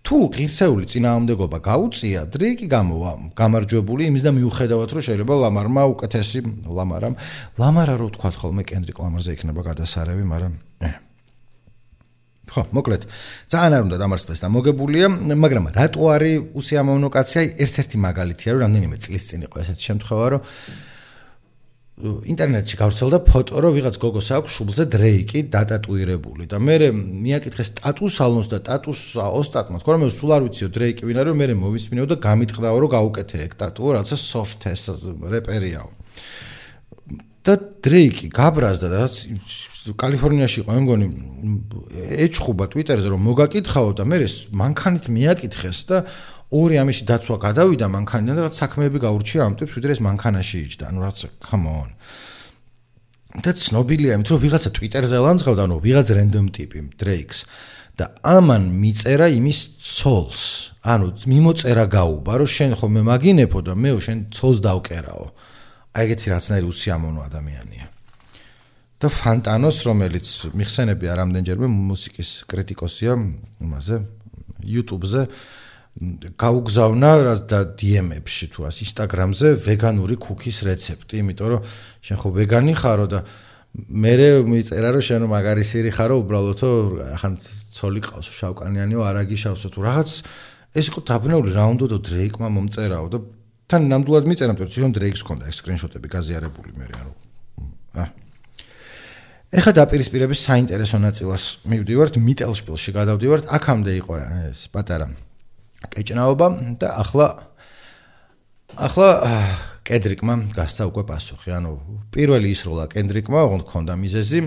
თუ ღირსეული წინააღმდეგობა გაუწია, დრეიკი გამოვა გამარჯვებული იმის და მიუხედავად რომ შეიძლება ლამარმა უკეთესი ლამარა რო თქვა ხოლმე კენდრიკ ლამარზე იქნება გადასარევი, მაგრამ ხო, მოკლედ, ძალიან არ უნდა დამარცხდეს და მოგებულია, მაგრამ რატო არის უსიამოვნო კაცი? ერთ-ერთი მაგალითია, რომ რამდენიმე წლის წინ იყო ესეთი შემთხვევა, რომ ინტერნეტში გავრცელდა ფოტო, რომ ვიღაც გოგოს აქვს შუბლზე დრეიკი დატატუირებული და მე მიაკითხეს ტატუს ალონს და ტატუს ოსტატმა, თქო რომ მე სულ არ ვიციო დრეიკი ვინ არის, მე მოვისმინეო და გამიტყდაო, რომ გაუკეთე ეგ ტატუო, რაღაცა soft ეს რეპერიაო. და დრეიკი გაბრაზდა და კალიფორნიაში იყო, მე მგონი ეჩხუბა ტვიტერზე რომ მოგაკითხაო და მე მანქანით მიაკითხეს და ორი ამისი დაცვა გადავიდა მანქანიდან და რაც საქმეები გაურჩია ამ ტიპს, ვიდრე ეს მანქანაში იჯდა, ანუ რაც come on. და ცნობილია იმით, რომ ვიღაცა ტვიტერზე ლანძღავდა, ანუ ვიღაც random ტიპი დრეიკს და ამან მიწერა იმის ცოლს, ანუ მიმოწერა გაუბა, რომ შენ ხომ მე მაგინეფო და მეო შენ ცოლს დავკერაო. ეგეთი რაცნაირი უსიამოვნო ადამიანია. და ფანტანოს, რომელიც მიხსენებია რამდენჯერმე მუსიკის კრიტიკოსია, იმაზე YouTube-ზე გაუგზავნა და DM-ებში თუ ას Instagram-ზე ვეგანური ქუქის რეცეპტი, იმიტომ რომ შენ ხო ვეგანი ხარო და მე მიწერა რომ შენ მაგარი სირი ხარო, უბრალოდო ხან ცოლი ყავს შავკანიანიო, არაგიშავსო თუ რაღაც ეს იყო დაბნეული რა უნდა და დრეიკმა მომწერაო და თან ნამდვილად მიწერა, რომ ციხონ დრეიქს ჰქონდა ეს სკრინშოტები გაზიარებული მე ანუ ეხლა დაპირისპირების საინტერესო ნაწილას მივდივართ, მიტელშპილში გადავდივართ, აქამდე იყო ეს პატარა კეჭნაობა და ახლა კენდრიკმა გასცა უკვე პასუხი, ანუ პირველი ისროლა კენდრიკმა, ოღონდ ჰქონდა მიზეზი,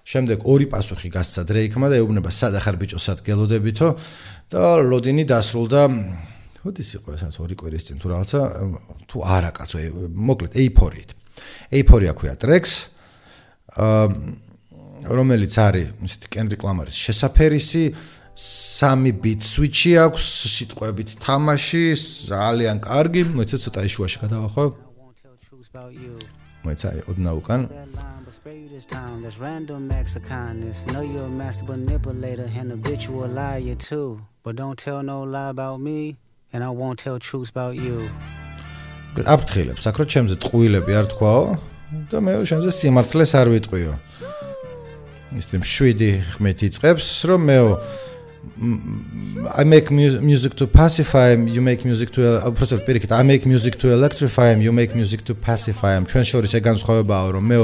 შემდეგ ორი პასუხი გასცა დრეიკმა და ეუბნება სადახარ ბიჭო სად გელოდებითო და ლოდინი დასრულდა როდის იყო ეს ორი კვირის წინ თუ რაღაცა თუ არა კაცო მოკლედ A4-ით აქვია ტრეკს რომელიც არის ისეთი კენდრიკ ლამარის შესაფერისი 3 bit switch-ი აქვს, სიტყვებით თამაში, ძალიან კარგი, მოიცა ცოტა შუაში გადავახო. მოიცა ოდნა უკან. This time, that's random acts of kindness. Know you're a master manipulator and habitual liar too. But don't tell no lie about me, and I won't tell truths about you. აფრთხილებს, აქ რო ჩემზე ტყუილები არ თქვაო და მე შენზე სიმართლეს არ ვიტყვიო. ისე 7 ხმეთი წებს, რომ მე I make music to pacify him, you make music to просто перекид I make music to electrify him, you make music to pacify him. ჩვენ შორის ეგ განსხვავებაა, რომ მე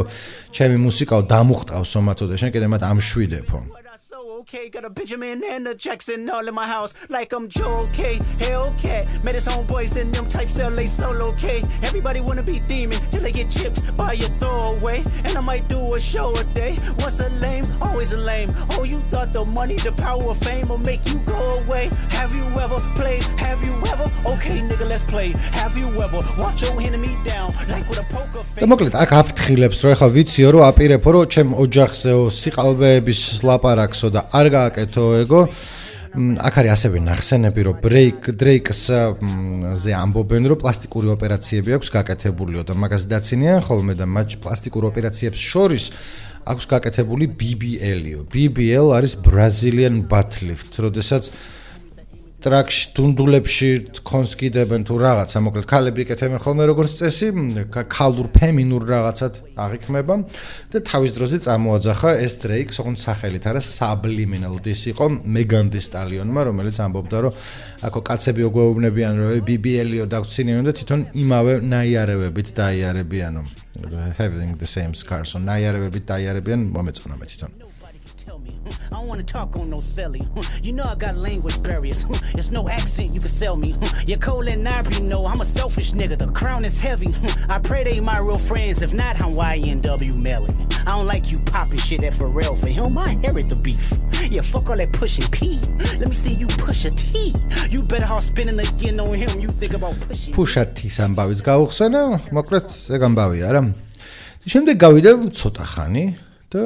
ჩემი მუსიკა დამუხტავს ომათო და შენ კიდე მათ ამშვიდებო. Okay, got a Benjamin and a Jackson all in my house like I'm Joe K. Hellcat, met his homeboys and them types LA solo K. Everybody wanna be demon till they get chipped by your throwaway. And I might do a show a day. Once a lame, always a lame. Oh, you thought the money, the power of fame will make you go away. Have you ever played? Have you ever? Okay, nigga, let's play. Have you ever watch your enemy down like with a poker face? და მოკლედ აქ აფრთხილებს, რომ ეხა ვიციო, რომ აპირებო, რომ ჩემ ოჯახსეო სიყალბეების ლაპარაკსო და არ გააკეთო ეგო. აქ არის ასევე ნახსენები, რომ დრეიკს-ზე ამბობენ, რომ პლასტიკური ოპერაციები აქვს გაკეთებულიო და მაგას დაცინიან ხოლმე და მათ პლასტიკურ ოპერაციებს შორის აქვს გაკეთებული BBL-იო. BBL არის Brazilian butt lift, როდესაც ტრაქში დუნდულებში თქონს კიდებენ თუ რაღაცა, მოკლედ ქალები იკეთებენ ხოლმე როგორც წესი, ქალურ ფემინურ რაღაცად აღიქმება და თავის დროზე წამოაძახა ეს დრეიკ, ოღონდ სახელით არა, Subliminal Diss იყო Megan Thee Stallion-მა, რომელიც ამბობდა, რომ აქო კაცები ოგვეუბნებიან, რომ BBL-იო დაგცინიონ და თვითონ იმავე ნაიარევებით დაიარებიანო. Having the same scars, so ნაიარევებით დაიარებიან მომეწონა მე თვითონ. I don't wanna talk on no silly. You know I got language barriers. There's no accent you can sell me. You're cold and ivory, no, I'm a selfish nigga. The crown is heavy. I pray they my real friends. If not, I'm YNW Melly. I don't like you popping shit that for real. For him, I inherit the beef. Yeah, fuck all that pushing P. Let me see you push a T. You better hard spinning again on him. You think about pushing. Push a T სამბავის გაუხსენა, მოკლედ ეგ ამბავია რა. შემდეგ გავიდა ცოტა ხანი. და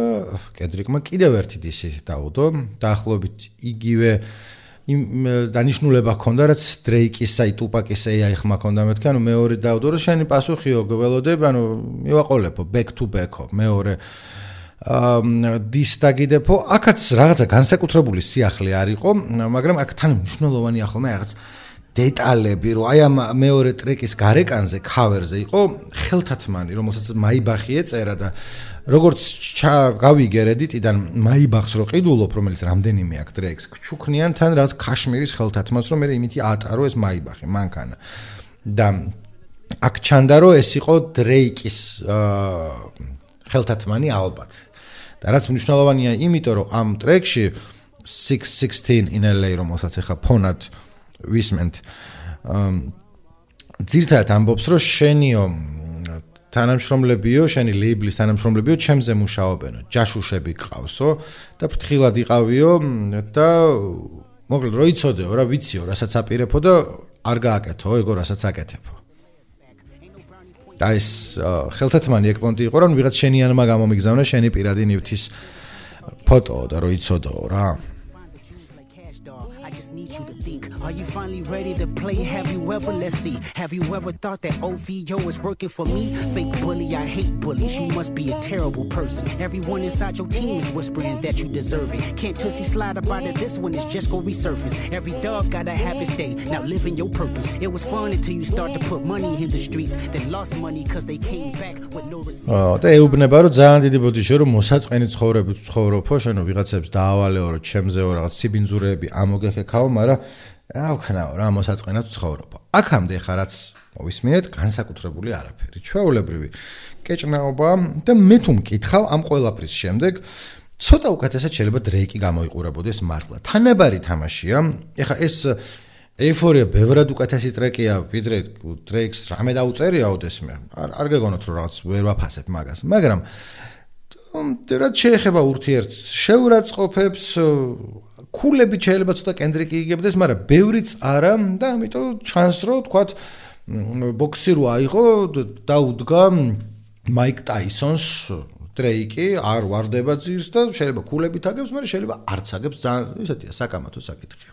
კენდრიკმა კიდევ ერთი დისი დაუდო, დაახლოებით იგივე დანიშნულება ჰქონდა, რაც დრეიკის აი ტუპაკის AI ხმა ჰქონდა მეთქი, ანუ მეორე დაუდო, რომ შენი პასუხიო გველოდებ, ანუ მივაყოლებო back to back-ო, მეორე დის დაგიდებო, აქაც რაღაცა განსაკუთრებული სიახლე არ იყო, მაგრამ აქ თან მნიშვნელოვანია ხოლმე რაღაც დეტალები, რომ აი ამ მეორე ტრეკის გარეკანზე, cover-ზე იყო ხელთათმანი, რომელსაც მაიბახი ეწერა და როგორც გავიგე Reddit-დან მაიბახს რო ყიდულობ, რომელიც რამდენიმე აქ ტრეკს გჩუქნიან თან რაღაც ქაშმირის ხელთათმას, რომ მე იმითი ატარო ეს მაიბახი მანქანა. და აქ ჩანდა რომ ეს იყო დრეიკის ხელთათმანი ალბათ. და რაც მნიშვნელოვანია, იმიტომ რომ ამ ტრეკში 616 in LA, რომელსაც ახლა ფონად ვისმენთ, ძირთადად ამბობს, რომ შენიო თანამშრომლებიო, შენი ლეიბლის თანამშრომლებიო, ჩემზე მუშაობენო, ჯაშუშები ყავსო და ფრთხილად იყავიო და მოკლედ რო იცოდეო რა, ვიციო, რასაც აპირებო და არ გააკეთო ეგო, რასაც აკეთებო. და ეს ხელთათმანი ეკპონტი იყო, რომ ვიღაც შენიანმა გამომიგზავნა შენი პირადი ნივთის ფოტო და რო იცოდეო რა. Are you finally ready to play? Have you ever, let's see, have you ever thought that OVO is working for me? Fake bully, I hate bullies, you must be a terrible person. Everyone inside your team is whispering that you deserve it. Can't tussy slide about it, this one is just gonna resurface. Every dog gotta have his day, now living your purpose. It was fun until you start to put money in the streets, then lost money cause they came back with no receipts. და ეუბნება, რომ ძალიან დიდი ბოდიშე, რომ მოსაწყენი ცხოვრებით ცხოვრობო, შენო ვიღაცებს დაავალეო, რომ ჩემზეო რაღაც სიბინძურეები ამოგეხეკაო, მაგრამ რა ვქნაო რა მოსაწყენად ცხოვრობ. აქამდე ხა რაც მოვისმინეთ, განსაკუთრებული არაფერი. ჩვეულებრივი კეჭნაობა და მე თუ მკითხავ ამ ყველაფრის შემდეგ, ცოტა უკეთესად შეიძლება დრეიკი გამოიყურებოდეს მართლა. თანაბარი თამაშია. ეხა ეს ეიფორია ბევრად უკეთესი ტრეკია, ვიდრე დრეიქს რამე დაუწერია ოდესმე. არ გეგონოთ რომ რაღაც ვერ ვაფასებ მაგას, მაგრამ რაც შეეხება ურთიერთ შეურაცხყოფებს, ქულები შეიძლება ცოტა კენდრიკი იგებდეს, მაგრამ ბევრიც არა და ამიტომ ჩანს რომ თქვათ ბოქსი რო აიღო, დაუდგა მაიკ ტაისონს დრეიკი არ ვარდება ძირს და შეიძლება ქულებით აგებს, მაგრამ შეიძლება არც აგებს, ძალიან ისეთია საკამათო საკითხია.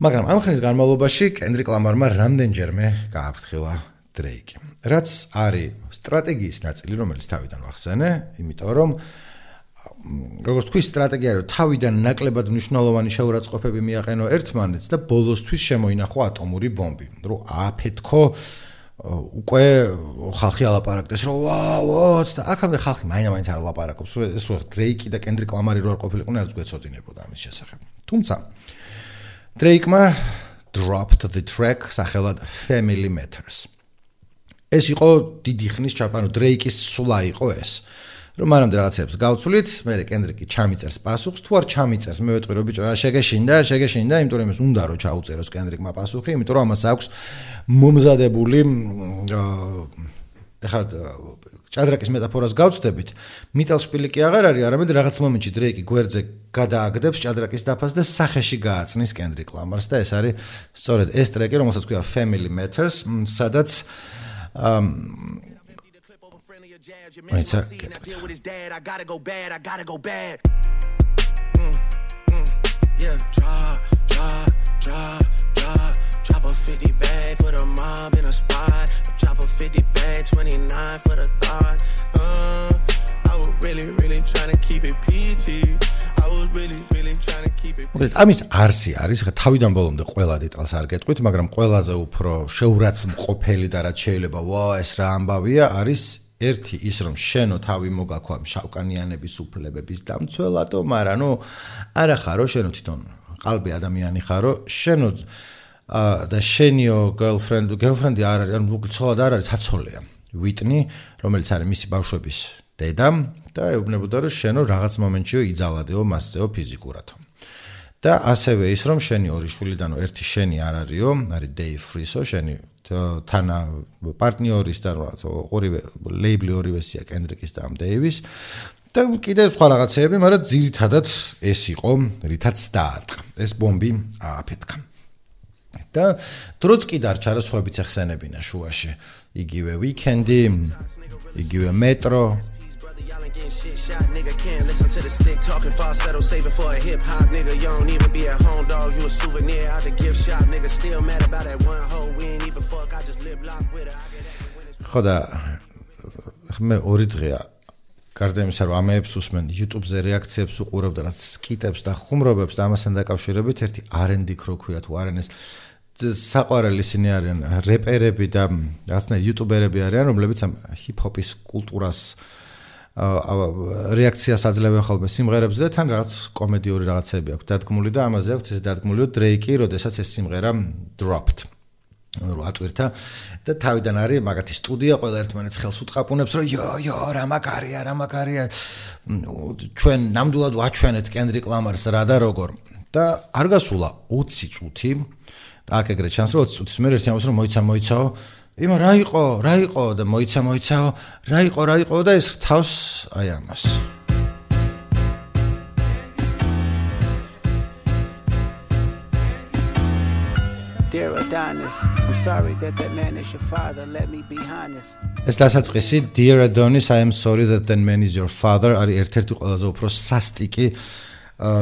მაგრამ ამ ხნის განმავლობაში კენდრიკ ლამარმა რამდენჯერმე გააფრთხილა დრეიკი. რაც არის სტრატეგიის ნაწილი, რომელიც თავიდან ვახსენე, იმიტომ რომ როგორც თქვი სტრატეგია რომ თავიდან ნაკლებად მნიშვნელოვანი შეურაცხყოფები მიაყენო ერთმანეთს და ბოლოსთვის შემოინახო ატომური ბომბი. რომ ააფეთქო უკვე ხალხი ალაპარაკდეს რომ ვაუ და აქამდე ხალხი მაინც არ ლაპარაკობს ეს რო დრეიკი და კენდრიკ ლამარი რო არ ყოფილიყო არც გვეცოდინებოდა ამის შესახებ. თუმცა დრეიკმა dropped the track სახელად Family Matters. ეს იყო დიდი ხნის ჩაბანო დრეიკის სულა იყო ეს. რომ მანამდე რაღაცებს გავცვლით, მე კენდრიკი ჩამიწერს პასუხს, თუ არ ჩამიწერს, მე ვეტყვი რომ ბიჭო, შეგეშინდა, იმიტომ რომ ეს უნდა რომ ჩაუწეროს კენდრიკმა პასუხი, იმიტომ რომ ამას აქვს მომზადებული ეხლა ჭადრაკის მეტაფორას გავცდებით, მიტალშპილი კი აღარ არის, არამედ რაღაც მომენტში დრეიკი გვერდზე გადააგდებს ჭადრაკის დაფას და სახეში გააწნის კენდრიკ ლამარს და ეს არის სწორედ ეს ტრეკი, რომელსაც ქვია Family Matters, სადაც It's deal with his dad. I gotta go bad. Yeah, drop a 50 bag for the mob in a spot. Drop a 50 bag, 29 for the thought. I was really trying to keep it PG. I was really trying to keep it. ამის არსი არის, ხა თავიდან ბოლომდე ყველა დეტალს არ გეტყვით, მაგრამ ყველაზე უფრო შეურაცხმყოფელი და რაც შეიძლება, ეს რა ამბავია, არის ერთი ის რომ შენო თავი მოგაქვა შავკანიანების უფლებების დამცველადო, მაგრამ არა ხარო შენო თვითონ ყალბი ადამიანი ხარო, შენო და შენიო girlfriend-ი არ არის, ანუ ცოლად არ არის, ცაცოლია. ვიტნი, რომელიც არის მისი ბავშვების დედა და ეუბნებოდა რომ შენო რაღაც მომენტშიო იძალადეო მასწეო ფიზიკურად. და ასევე ის რომ შენი ორი შვილიდანო ერთი შენი არ არისო, არის Dave Friso, შენი თანა პარტნიორის და ორივე ლეიბლი ორივესია კენდრიკის და დეივის და კიდევ სხვა რაღაცეები, მაგრამ ძირითადად ეს იყო, რითაც დაარტყა. ეს ბომბი ააფეთქა. და დროც კი დარჩა რა სხვაებიც ახსენებინა შუაში. იგივე ვიკენდი, იგივე მეტრო. Shit shot nigga can't listen to the stick talking falsetto saving for a hip hop nigga you don't even be at home dog you a souvenir out the gift shop nigga still mad about that one hoe we ain't even fuck I just live lock with her ხოდა მე ორი დღეა გარდა იმისა რომ ამეებს უსმენ YouTube-ზე რეაქციებს უყურებ და რაც სკიტებს და ხუმრობებს და ამასთან დაკავშირებით ერთი R&D ქროქვია თუ არ არის საყვარელი ისინი არიან რეპერები და რაღაცნაირ YouTuber-ები არიან რომლებიც ამ ჰიპ-ჰოპის კულტურას რეაქციას აძლევენ ხოლმე სიმღერებზე და თან რაღაც კომედიური რაღაცები აქვს დადგმული და ამაზე აქვს ეს დადგმული რომ დრეიკი როდესაც ეს სიმღერა dropped რო ატვირთა და თავიდან არის მაგათი სტუდია ყველა ერთმანეთს ხელს უტყაპუნებს რომ იო რა მაგარია ჩვენ ნამდვილად ვაჩვენეთ კენდრიკ ლამარს რა და როგორ და არ გასულა 20 წუთი და აქ ეგრე ჩანს რომ 20 წუთის მერე ერთი ამბობს რომ მოიცაო იმა რა იყო და მოიცაო რა იყო და ეს თავს აი ამას Dear Adonis, I'm sorry that man is your father. Let me be honest. ეს დასაწყისი Dear Adonis, I am sorry that man is your father არის ერთ-ერთი ყველაზე უფრო სასტიკი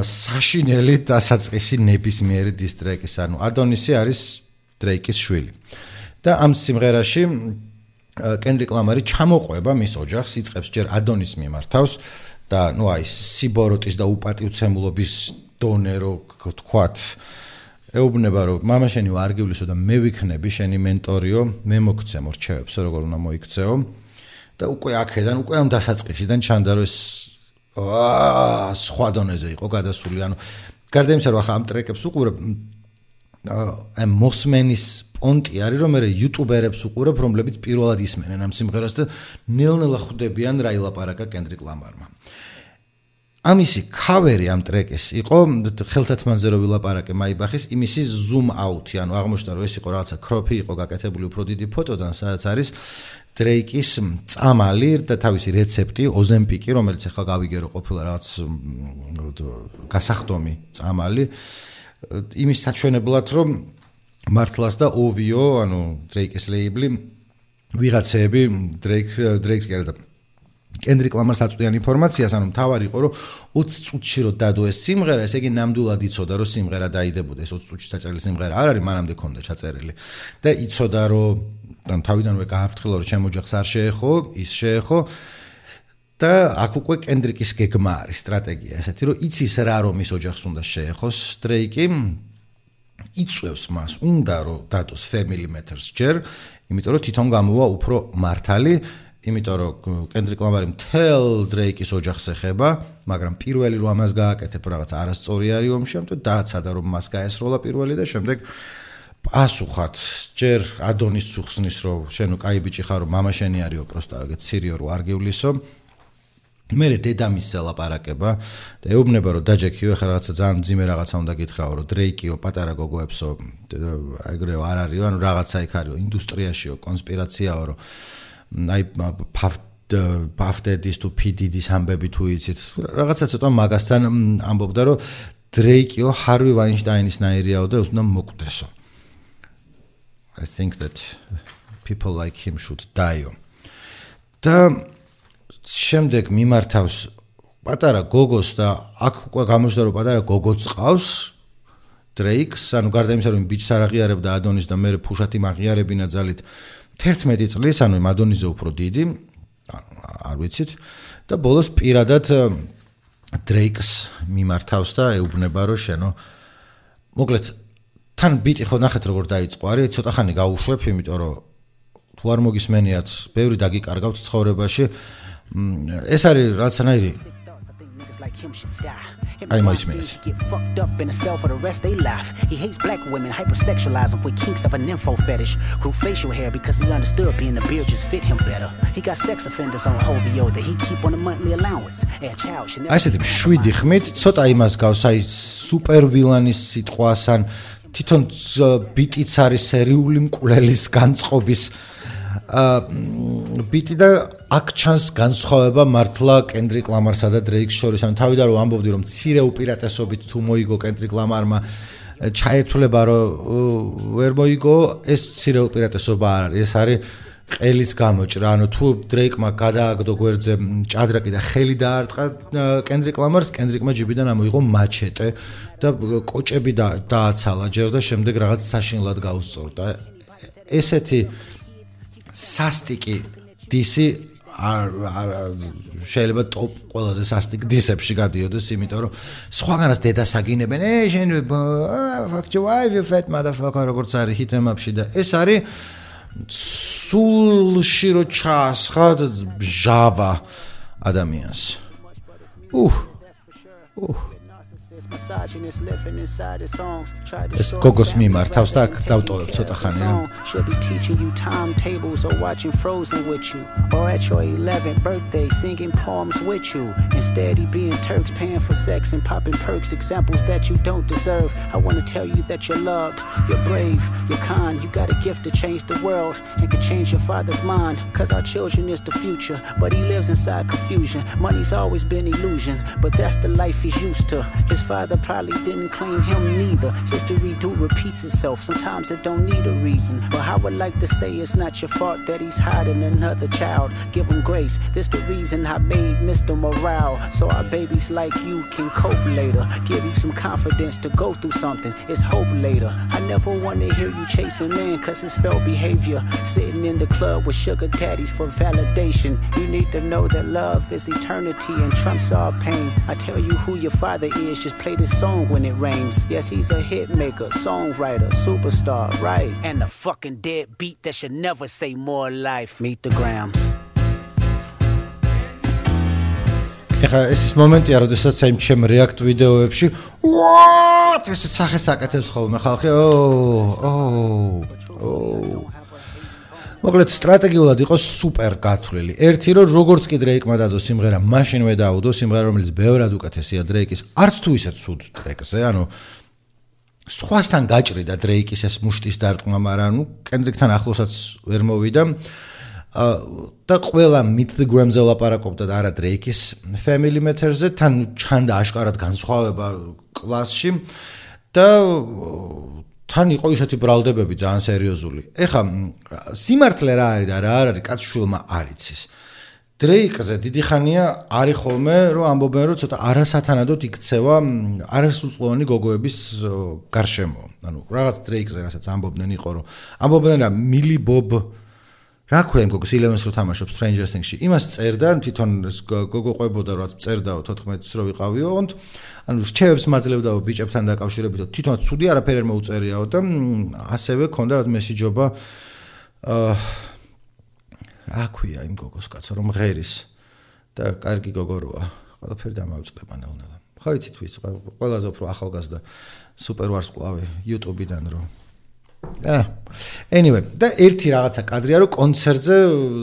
საშინელი დასაწყისი ნებისმიერი დისტრეკის. ანუ Adonis-ი არის დრეიკის შვილი. და ამ სიმღერაში კენდრიკ ლამარი ჩამოყვება მის ოჯახს, იწყებს ჯერ Adonis მიმართავს და აი სიბოროტის და უპატივცემულობის დონე რო თქვათ ეუბნება რომ მამა შენი არ გივლისო და მე ვიქნები შენი მენტორიო, მე მოგცემ რჩევებს როგორ უნდა მოიქცეო და უკვე აქედან უკვე ამ დასაწყისიდან ჩანდა რომ ეს სხვა დონეზე იყო გადასული. ანუ გარდა იმისა რომ ახლა ამ ტრეკებს უყურებ ამ მოსმენის პონტი არის რომ მე იუტუბერებს უყურებ რომლებიც პირველად ისმენენ ამ სიმღერას და ნელ-ნელა ხვდებიან რა ილაპარაკა კენდრიკ ლამარმა. ამისი ქავერი ამ ტრეკის იყო ხელთათმანზე რო ვილაპარაკე მაიბახის იმისი zoom out-ი, ანუ აღმოჩნდა რომ ეს იყო რაღაცა კროპი იყო გაკეთებული უფრო დიდი ფოტოდან, სადაც არის დრეიკის წამალი და თავისი რეცეპტი ოზემპიკი, რომელიც ახლა გავიგერო ყოფილა რაღაც გასახდომი წამალი. იმის საჩვენებლად რომ მართლაც და OVO, ანუ დრეიკის ლეიბლი ვიღაცეები დრეიქს კი არა და კენდრიკ ლამარს აწვდიან ინფორმაციას, ანუ თავარი იყო რომ 20 წუთში რომ დადო ეს სიმღერა, ესე იგი ნამდვილად იცოდა რომ სიმღერა დაიდებოდა, ეს 20 წუთში დაჭერილი სიმღერა არ არის, მანამდე ქონდა ჩაწერილი. და იცოდა რომ თავიდანვე გააფრთხილა რომ ჩემ ოჯახს არ შეეხო, ის შეეხო. და აქ უკვე კენდრიკის გეგმა არის, სტრატეგია ესეთი, რომ იცის რა რომ ის ოჯახს უნდა შეეხოს, დრეიკი იწვევს მას, უნდა რომ დადოს Family Matters ჯერ, იმიტომ რომ თვითონ გამოვა უფრო მართალი, იმიტომ რომ კენდრიკ ლამარი მთელ დრეიკის ოჯახს ეხება, მაგრამ პირველი რომ ამას გააკეთებ რაღაც არასწორი არის ომში, ამიტომ დააცადა რომ მას გაესროლა პირველი და შემდეგ პასუხად ჯერ ადონის სუხსნის რომ შენო კაი ბიჭი ხარო, მამა შენი არისო, პროსტა ეგ ციриო რო არ გივლისო. მერე დედამისზე ლაპარაკება და ეუბნება რომ დაჯექიო, ხა რაღაცა ძალიან მძიმე რაღაცა უნდა გითხრაო, რომ დრეიკიო პატარა გოგოებსო, ეგრეო არ არისო, ანუ რაღაცა იქ არისო, ინდუსტრიაშიო, კონსპირაციაო, რომ აი პაფდედის თუ PDD-ის ამბები თუ იცით, რაღაცა ცოტა მაგასთან ამბობდა, რომ დრეიკიო ჰარვი ვაინშტაინის ნაირიაო და უნდა მოკვდესო. I think that people like him should die. და შემდეგ მიმართავს პატარა გოგოს და აქ უკვე გამოჩნდა რომ პატარა გოგოც ყავს დრეიკს, ანუ გარდა იმისა რომ ბიჭს არ აღიარებდა ადონის და მე ფუშათი მაღიარებინა ძალით 11 წლის, ანუ ადონისზე უფრო დიდი, არ ვიცით, და ბოლოს პირადად დრეიკს მიმართავს და ეუბნება რომ შენო მოკლედ თან ბიტი ხო ნახეთ როგორ დაიწყო, არის ცოტა ხანი გაუშვებ, იმიტომ რომ თუ არ მოგისმენიათ, ბევრი დაგიკარგავთ ცხოვრებაში. ეს არის რაღაცნაირი I might miss. Get fucked up in a cell for the rest they life. He hates black women, hypersexualize them with kinks of an info fetish. Grew facial hair because he understood being the beard just fit him better. He got sex offenders on Hovio that he keep on a monthly allowance. And child should never. ასეთი შვიდი ხმით ცოტა იმას გავს, აი სუპერ ვილანის სიტყვას ან თვითონ ბიტიც არის სერიული მკვლელის განწყობის ბიტი და აქ ჩანს განსხვავება მართლა კენდრიკ ლამარსა და დრეიქს შორის. ანუ თავიდან რომ ამბობდი რომ მცირე უპირატესობით თუ მოიგო კენდრიკ ლამარმა ჩაეთვლება რომ ვერ მოიგო, ეს მცირე უპირატესობა არ არის, ეს არის ყელის გამოჭრა. ანუ თუ დრეიკმა გადააგდო გვერდზე ჭადრაკი და ხელი დაარტყა კენდრიკ ლამარს, კენდრიკმა ჯიბიდან ამოიღო მაჩეტე და კოჭები დააცალა ჯერ და შემდეგ რაღაც საშინლად გაუსწორდა. ესეთი სასტიკი დისი შეიძლება ტოპ ყველაზე სასტიკ დისებში გადიოდეს, იმიტომ რომ სხვაგანაც დედას აგინებენ, შენ fuck your wife you fat motherfucker, როგორც არის ჰიტემაპში და ეს არის სულში რო ჩაასხად ჟავა ადამიანს. ეს გოგოს მიმართავს და აქ დავტოვებ ცოტა ხანი რა. She'll be teaching you timetables or watching Frozen with you, or at your 11th birthday singing poems with you. Instead he being Turks paying for sex and popping perks, examples that you don't deserve. I want to tell you that you're loved, you're brave, you're kind, you got a gift to change the world and can change your father's mind, cause our children is the future, but he lives inside confusion. Money's always been illusion, but that's the life he's used to. His father probably didn't claim him neither. History do repeats itself, sometimes it don't need a reason. But I would like to say it's not your fault that he's hiding another child. Give him grace, this the reason I made Mr. Morale, so our babies like you can cope later. Give you some confidence to go through something, it's hope later. I never want to hear you chasing men cause it's failed behavior. Sitting in the club with sugar daddies for validation. You need to know that love is eternity and trumps all pain. I tell you who your father is, just play this song when it rains. Yes, he's a hit maker, songwriter, superstar, right? And a fucking dead beat that should never say more life. Meet the Grams. ეხა ეს ის მომენტია, როდესაც აი ჩემ რეაქტ ვიდეოებში what ეს სახეს აკეთებს ხოლმე ხალხი. მოკლედ სტრატეგიულად იყო სუპერ გათვლილი. ერთი რომ როგორც კი დრეიკმა დადო სიმღერა, მაშინვე დაუდო სიმღერა, რომელიც ბევრად უკეთესია დრეიკის, არც თუ ისე ცუდ ტრეკზე, ანუ სხვასთან გაჭრიდა დრეიკის ეს მუშტის დარტყმა, მაგრამ კენდრიკთან ახლოსაც ვერ მოვიდა. და ყველა Meet the Grams-ზე ლაპარაკობდა და არა დრეიკის Family Matters-ზე, თან ჩანდა აშკარად განსხვავება კლასში და თან იყო ისეთი ბრალდებები ძალიან სერიოზული. ეხა სიმართლე რა არის და რა არ არის, კაცშვილმა არ იცის. დრეიკზე დიდი ხანია არის ხოლმე რომ ამბობენ რომ ცოტა არასათანადოდ იქცევა არასრულწლოვანი გოგოების გარშემო. ანუ რაღაც დრეიკზე რასაც ამბობდნენ იყო რომ ამბობდნენ რა მილი ბობ რა ქვია იმ გოგოს 11-ს რო თამაშობს Stranger Things-ში. იმას წერდა თვითონ გოგო ყვებოდა რაც წერდაო 14-ს რო ვიყავიო, ანუ რჩევებს მაძლევდაო ბიჭებთან დაკავშირებით, თვითონ ცუდი არაფერი არ მოუწერიაო და ასევე ქონდა რა მესიჯობა რა ქვია იმ გოგოს კაცო რომ ღერის და კარგი გოგო როა, ყველაფერი დამავიწყდება ნელ-ნელა. ხო იცით ვის, ყველაზე უფრო ახალგაზრდა სუპერვარსკვლავი YouTube-დან რო Anyway, და ერთი რაღაცა კადრია რომ კონცერტზე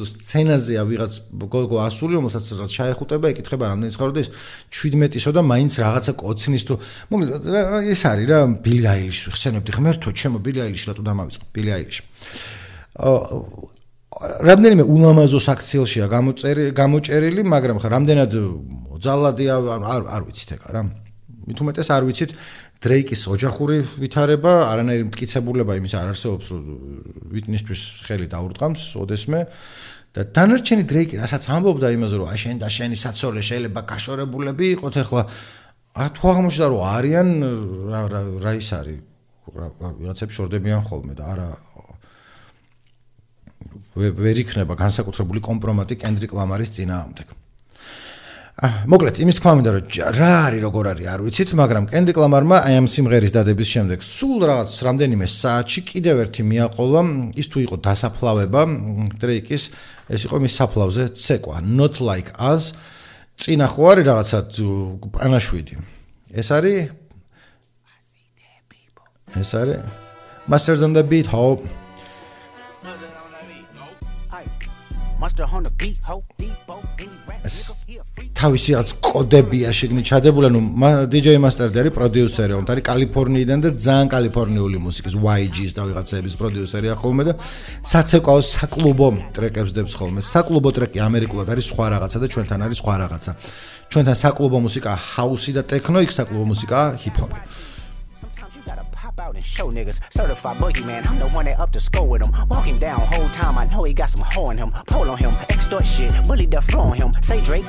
სცენაზეა ვიღაც გოგო ასული, რომელსაც რაც შეეხუტება, ეკითხება რამდენი ხარ და 17-ისო და მაინც რაღაცა კოცნის თუ ეს არის რა ბილი აილიში ხსენებდი ღმერთო, ჩემო ბილი აილიში რატო დამავიწყე ბილი აილიში. რამდენიმე ულამაზო საქციელშია გამოჭერილი, მაგრამ ხა რამდენად ძალადია არ ვიცით ეკა რა. მით უმეტეს არ ვიცით დრეიკის ოჯახური ვითარება, არანაირი მტკიცებულება იმის არ არსებობს, რომ ვიტნისთვის ხელი დაურტყამს ოდესმე და დანარჩენი დრეიკი, რასაც ამბობდა იმაზე, რომ შენ და შენი საცოლე შეიძლება გაშორებულები იყოთ, ახლა თუ აღმოჩნდა, რომ არიან რა ის არის, ვიღაცები შორდებიან ხოლმე და არა ვერ იქნება განსაკუთრებული კომპრომატი კენდრიკ ლამარის წინააღმდეგ. მოკლედ, იმის თქმა მინდა რომ რა არის როგორ არის არ ვიცით, მაგრამ კენდრიკ ლამარმა აი ამ სიმღერის დადების შემდეგ სულ რაღაც რამდენიმე საათში კიდევ ერთი მიაყოლა, ის თუ იყო დასაფლავება დრეიკის, ეს იყო მის საფლავზე ცეკვა, Not Like Us, წინა ხო არის რაღაცა პანაშვიდი. ეს არის Mustard on the Beat, ho. Mustard on the beat, ho, თავისი რაც კოდებია შეგნით ჩადებული, ანუ DJ Mustard არის პროდიუსერი, არის კალიფორნიიდან და ძალიან კალიფორნიული მუსიკის YG-ის და ვიღაცების პროდიუსერია ხოლმე და საცეკვაო საკლუბო ტრეკებს დებს ხოლმე. საკლუბო ტრეკი ამერიკულად არის სხვა რაღაცა და ჩვენთან არის სხვა რაღაცა. ჩვენთან საკლუბო მუსიკა ჰაუსი და ტექნო, იქ საკლუბო მუსიკა ჰიპ-ჰოპი. Out and show niggas certified boogeyman. I'm the one that up to score with him. Walking down whole time. I know he got some hoe in him. Pull on him, extort shit, bully the flow on him. Say Drake,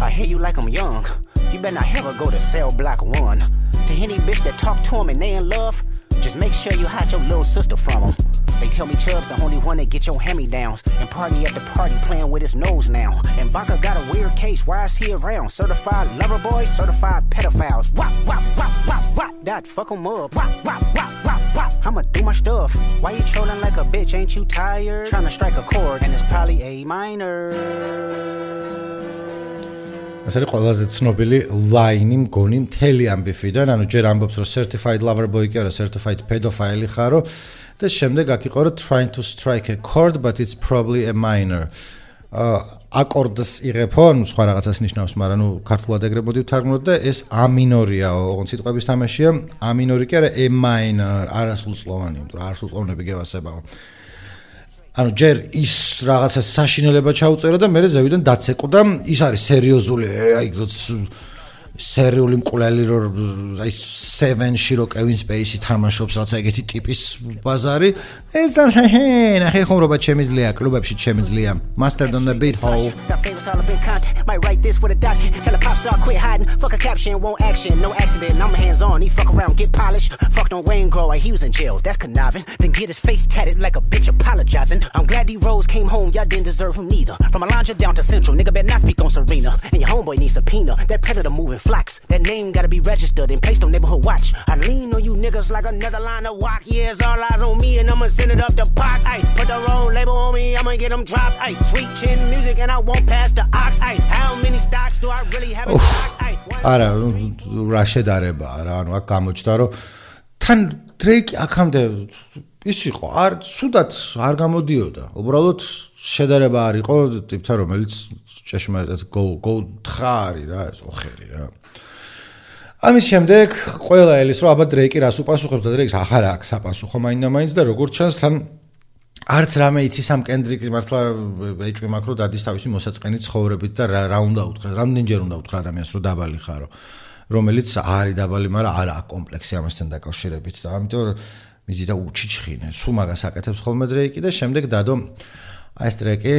I hear you like I'm young. You better not ever go to cell block 1. To any bitch that talk to him and they in love, just make sure you hide your little sister from him. They tell me Chubb's the only one that get your hand-me-downs and party at the party playing with his nose now. And Baka got a weird case. Why is he around? Certified lover boys, certified pedophiles. Wop, wop, wop, wop, wop. That fuck him up. Wop, wop, wop, wop, wop. I'ma do my stuff. Why you trolling like a bitch? Ain't you tired? Trying to strike a chord and it's probably A minor. ეს არის ყველაზე ცნობილი ლაინი მგონი მთელი ამბიფიდან, ანუ ჯერ ამბობს რომ certified lover boy კი არა, certified pedophile ხარო და შემდეგ აქ იყო რომ trying to strike a chord but it's probably a minor. აკორდს იღებო, ანუ სხვა რაღაცას ნიშნავს, მაგრამ ნუ ქართულად ეგრებოდი ვთარგმნოთ და ეს A minor-ია, ოღონდ სიტყვების თამაშია, A minor კი არა, A minor, არასრულწლოვანი, იმიტომ რომ არასრულწლოვნები გევასებაო. ანუ ჯერ ის რაღაცა საშინელება ჩაუწერა და მე ზევიდან დაცეკვდა, ის არის სერიოზული, აი სერიული მკვლელი რომ აი 7-ში რო კევინ სპეისი თამაშობს რაცა ეგეთი ტიპის ბაზარი ეს ნახე ხომრობა შემიძლია კლუბებში შემიძლია Mustard on the Beat ho might write this with a doctor tell a pop star quit hiding fuck a caption won't action no accident I'm hands on he fuck around get polished fucked on Wayne Grow he was in jail that's conniving then get his face tatted like a bitch apologizing I'm glad D-Rose came home y'all didn't deserve him neither from Alondra down to Central nigga better not speak on Serena and your homeboy needs subpoena that predator moving flocks that name gotta be registered and placed on neighborhood watch I lean on you niggas like another line of walk yeah it's all eyes on me and I'ma send it up the pot ay put the roll label on me I'ma get them dropped ay sweet chin music and I won't pass the ox ay how many stocks do I really have in stock ay არა რა შედარება რა ანუ აქ გამოჩნდა რომ თან დრეიკი აქამდე ის იყო არ სუდად არ გამოდიოდა უბრალოდ შედარება არ იყო ტიპთან რომელიც ჭეშმარიტად გო თხარი რა ეს ოხერი რა ამის შემდეგ ყველა ელის რომ აბა დრეიკი რას უპასუხებს და დრეიკს ახლა აქვს საპასუხო მაინდა-მაინც და როგორც ჩანს თან არც რამე იცის ამ კენდრიკის მართლა ეჭვი მაქვს რომ დადის თავისი მოსაწყენი ცხოვრებით და რა უნდა უთხრა რამდენჯერ უნდა უთხრა ადამიანს რომ დაბალი ხარო რომელიც არის დაბალი მაგრამ არა აქვს კომპლექსი ამასთან დაკავშირებით და ამიტომ მიდი და უჩიჩხინე სულ მაგას აკეთებს ხოლმე დრეიკი და შემდეგ დადო აი ეს ტრეკი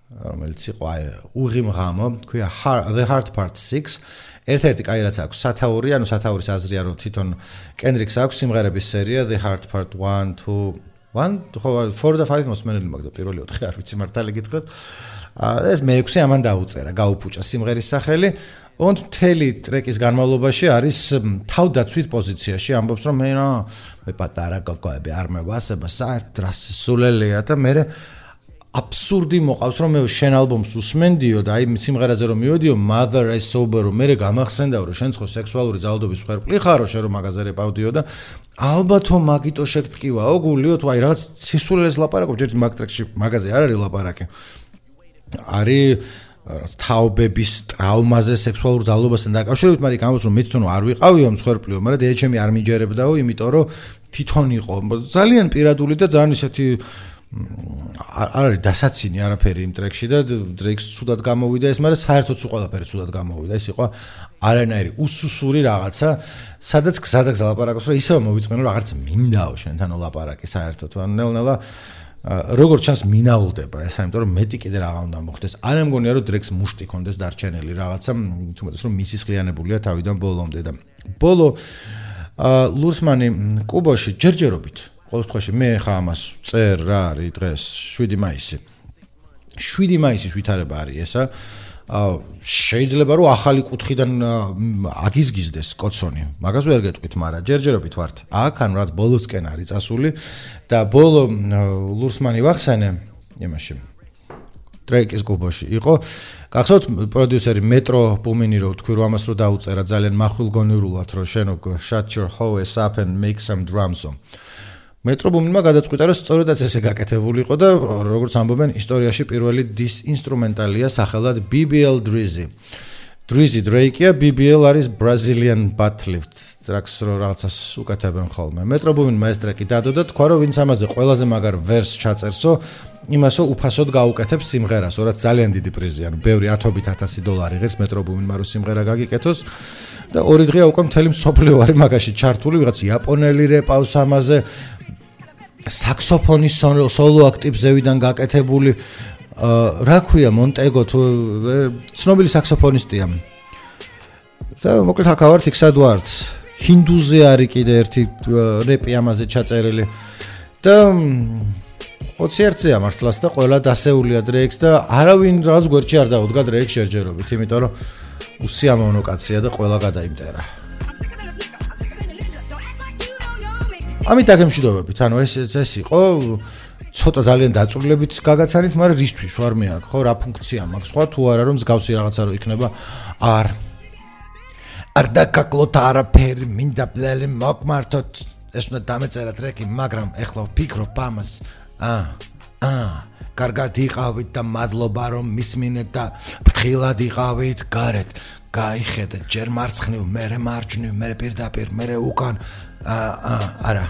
რომელიც იყო აი უღიმღამო, ქვია The Hard Part 6. ერთ-ერთი კაი რაც აქვს სათაური, ანუ სათაურის აზრია რომ თვითონ კენდრიქს აქვს სიმღერების სერია The Hard Part 1 to 4 და 5 მოსმენელი მაგდა პირველი 4 არ ვიცი მართალი გითხრათ. ეს მე-6 ამან დაუწერა, გაუფუჭა სიმღერის სახელი. ოღონდ მთელი ტრეკის განმავლობაში არის თავდაცვით პოზიციაში, ამბობს რომ მე პატარა გოგოები არ მევასება, საერთ დროს სულელია და მე აბსურდი მოყავს რომ მე შენ ალბომს უსმენდიო და აი სიმღერაზე რომ მივედიო Mother I Sober რომ მე გამახსენდა რომ შენ ხო სექსუალური ძალადობის ხერხი ხარო შენ რომ მაგაზე რეპავდიო და ალბათო მაგიტო შეგტკივაო გულიო თუ აი რაღაც სისულელეს ლაპარაკობ ჯერ მაგ ტრეკში მაგაზე არ არის ლაპარაკი არის თაობების ტრაუმაზე სექსუალურ ძალადობასთან დაკავშირებით მაგრამ გამოს რომ მეც თვითონ არ ვიყავიო მსხვერპლიო მაგრამ დედაჩემი არ მიჯერებდაო იმიტომ რომ თვითონ იყო ძალიან პირადული და ძალიან ისეთი არ არის დასაცინი არაფერი იმ ტრეკში და დრეიქს ცუდად გამოვიდა ეს, მაგრამ საერთოდ სულ ყველაფერი ცუდად გამოვიდა. ეს იყო არანაირი უსუსური რაღაცა, სადაც გზადაგ ლაპარაკობს, რომ ისევ მოვიწყენო რაღაც მინდაო შენთან ლაპარაკი საერთოდ. ნელ-ნელა როგორც ჩანს მინაულდება ეს, იმიტომ რომ მეტი კიდე რაღა უნდა მოხდეს. არ მგონია რომ დრეიქს მუშტი კონდეს დარჩენილი რაღაცა, თუმცა რომ მისისხლიანებულია თავიდან ბოლომდე და ბოლო ლურსმანი კუბოში ჯერჯერობით ყოველ შემთხვევაში მე ხა ამას წერ რა არის დღეს 7 მაისი. 7 მაისის ვითარება არის ესა. შეიძლება რომ ახალი კუთხიდან აგიზგიზდეს კოცონი. მაგას ვერ გეტყვით, მაგრამ ჯერჯერობით ვართ. აქ ან რაც ბოლოსკენ არის წასული და ბოლო ლურსმანი ვახსენე იმაში. ტრეკის კუბოში იყო. გახსოვთ პროდიუსერი მეტრო პუმინი რო თქვი რომ ამას რო დაუწერა ძალიან მახვილგონიურულად რომ შენ shut your hoe up and make some drums. მეტრობუმინმა გადაწყვიტა რომ სწორედაც ესე გაკეთებული იყო და როგორც ამბობენ ისტორიაში პირველი დის ინსტრუმენტალია სახელად BBL Drizzy. Drizzy Drake-ია, BBL არის Brazilian butt lift. ტრაკს რო რაღაცას უკეთებენ ხოლმე. მეტრობუმინმა ეს ტრეკი დადო და თქვა რომ ვინც ამაზე ყველაზე მაგარ ვერსს ჩაწერსო, იმასო უფასოდ გაუკეთებს სიმღერას, რაც ძალიან დიდი პრიზია, ანუ ბევრი $10,000 ღირს მეტრობუმინმა რო სიმღერა გაგიკეთოს და 2 დღეა უკვე მთელი მსოფლიო არის მაგაში ჩართული, ვიღაც იაპონელი რეპავს ამაზე. საქსოფონის სოლო აქტივზევიდან გაკეთებული რა ქვია მონტეგო თუ ცნობილი საქსოფონისტია და მოკლედ აქ ავართ იქ სად ვართ ჰინდუზე არის კიდე ერთი რეპი ამაზე ჩაწერილი და 21-ია მართლაც და ყველა დასეულია დრეიქს და არავინ რაღაც გვერდში არ დაუდგა დრეიქს შერჯერობით იმიტომ რომ უსიამოვნო კაცია და ყველა გადაიმტერა ამით აგემშვიდობებით, ანუ ეს იყო ცოტა ძალიან დაწურლებით გაგაცანით, მაგრამ რისთვის ვარ მე აქ, ხო, რა ფუნქცია მაქვს, სხვა თუ არა რომ მსგავსი რაღაცა რო იქნება, არ დაკაკლოთ არაფერი, მინდა ბლელი მოგმართოთ, ეს უნდა დამეწერა ტრეკი, მაგრამ ეხლა ვფიქრობ ამას, კარგად იყავით და მადლობა რომ მისმინეთ და ფრთხილად იყავით გარეთ, გაიხედეთ, ჯერ მარცხნივ, მერე მარჯვნივ, მერე პირდაპირ, მერე უკან, არა.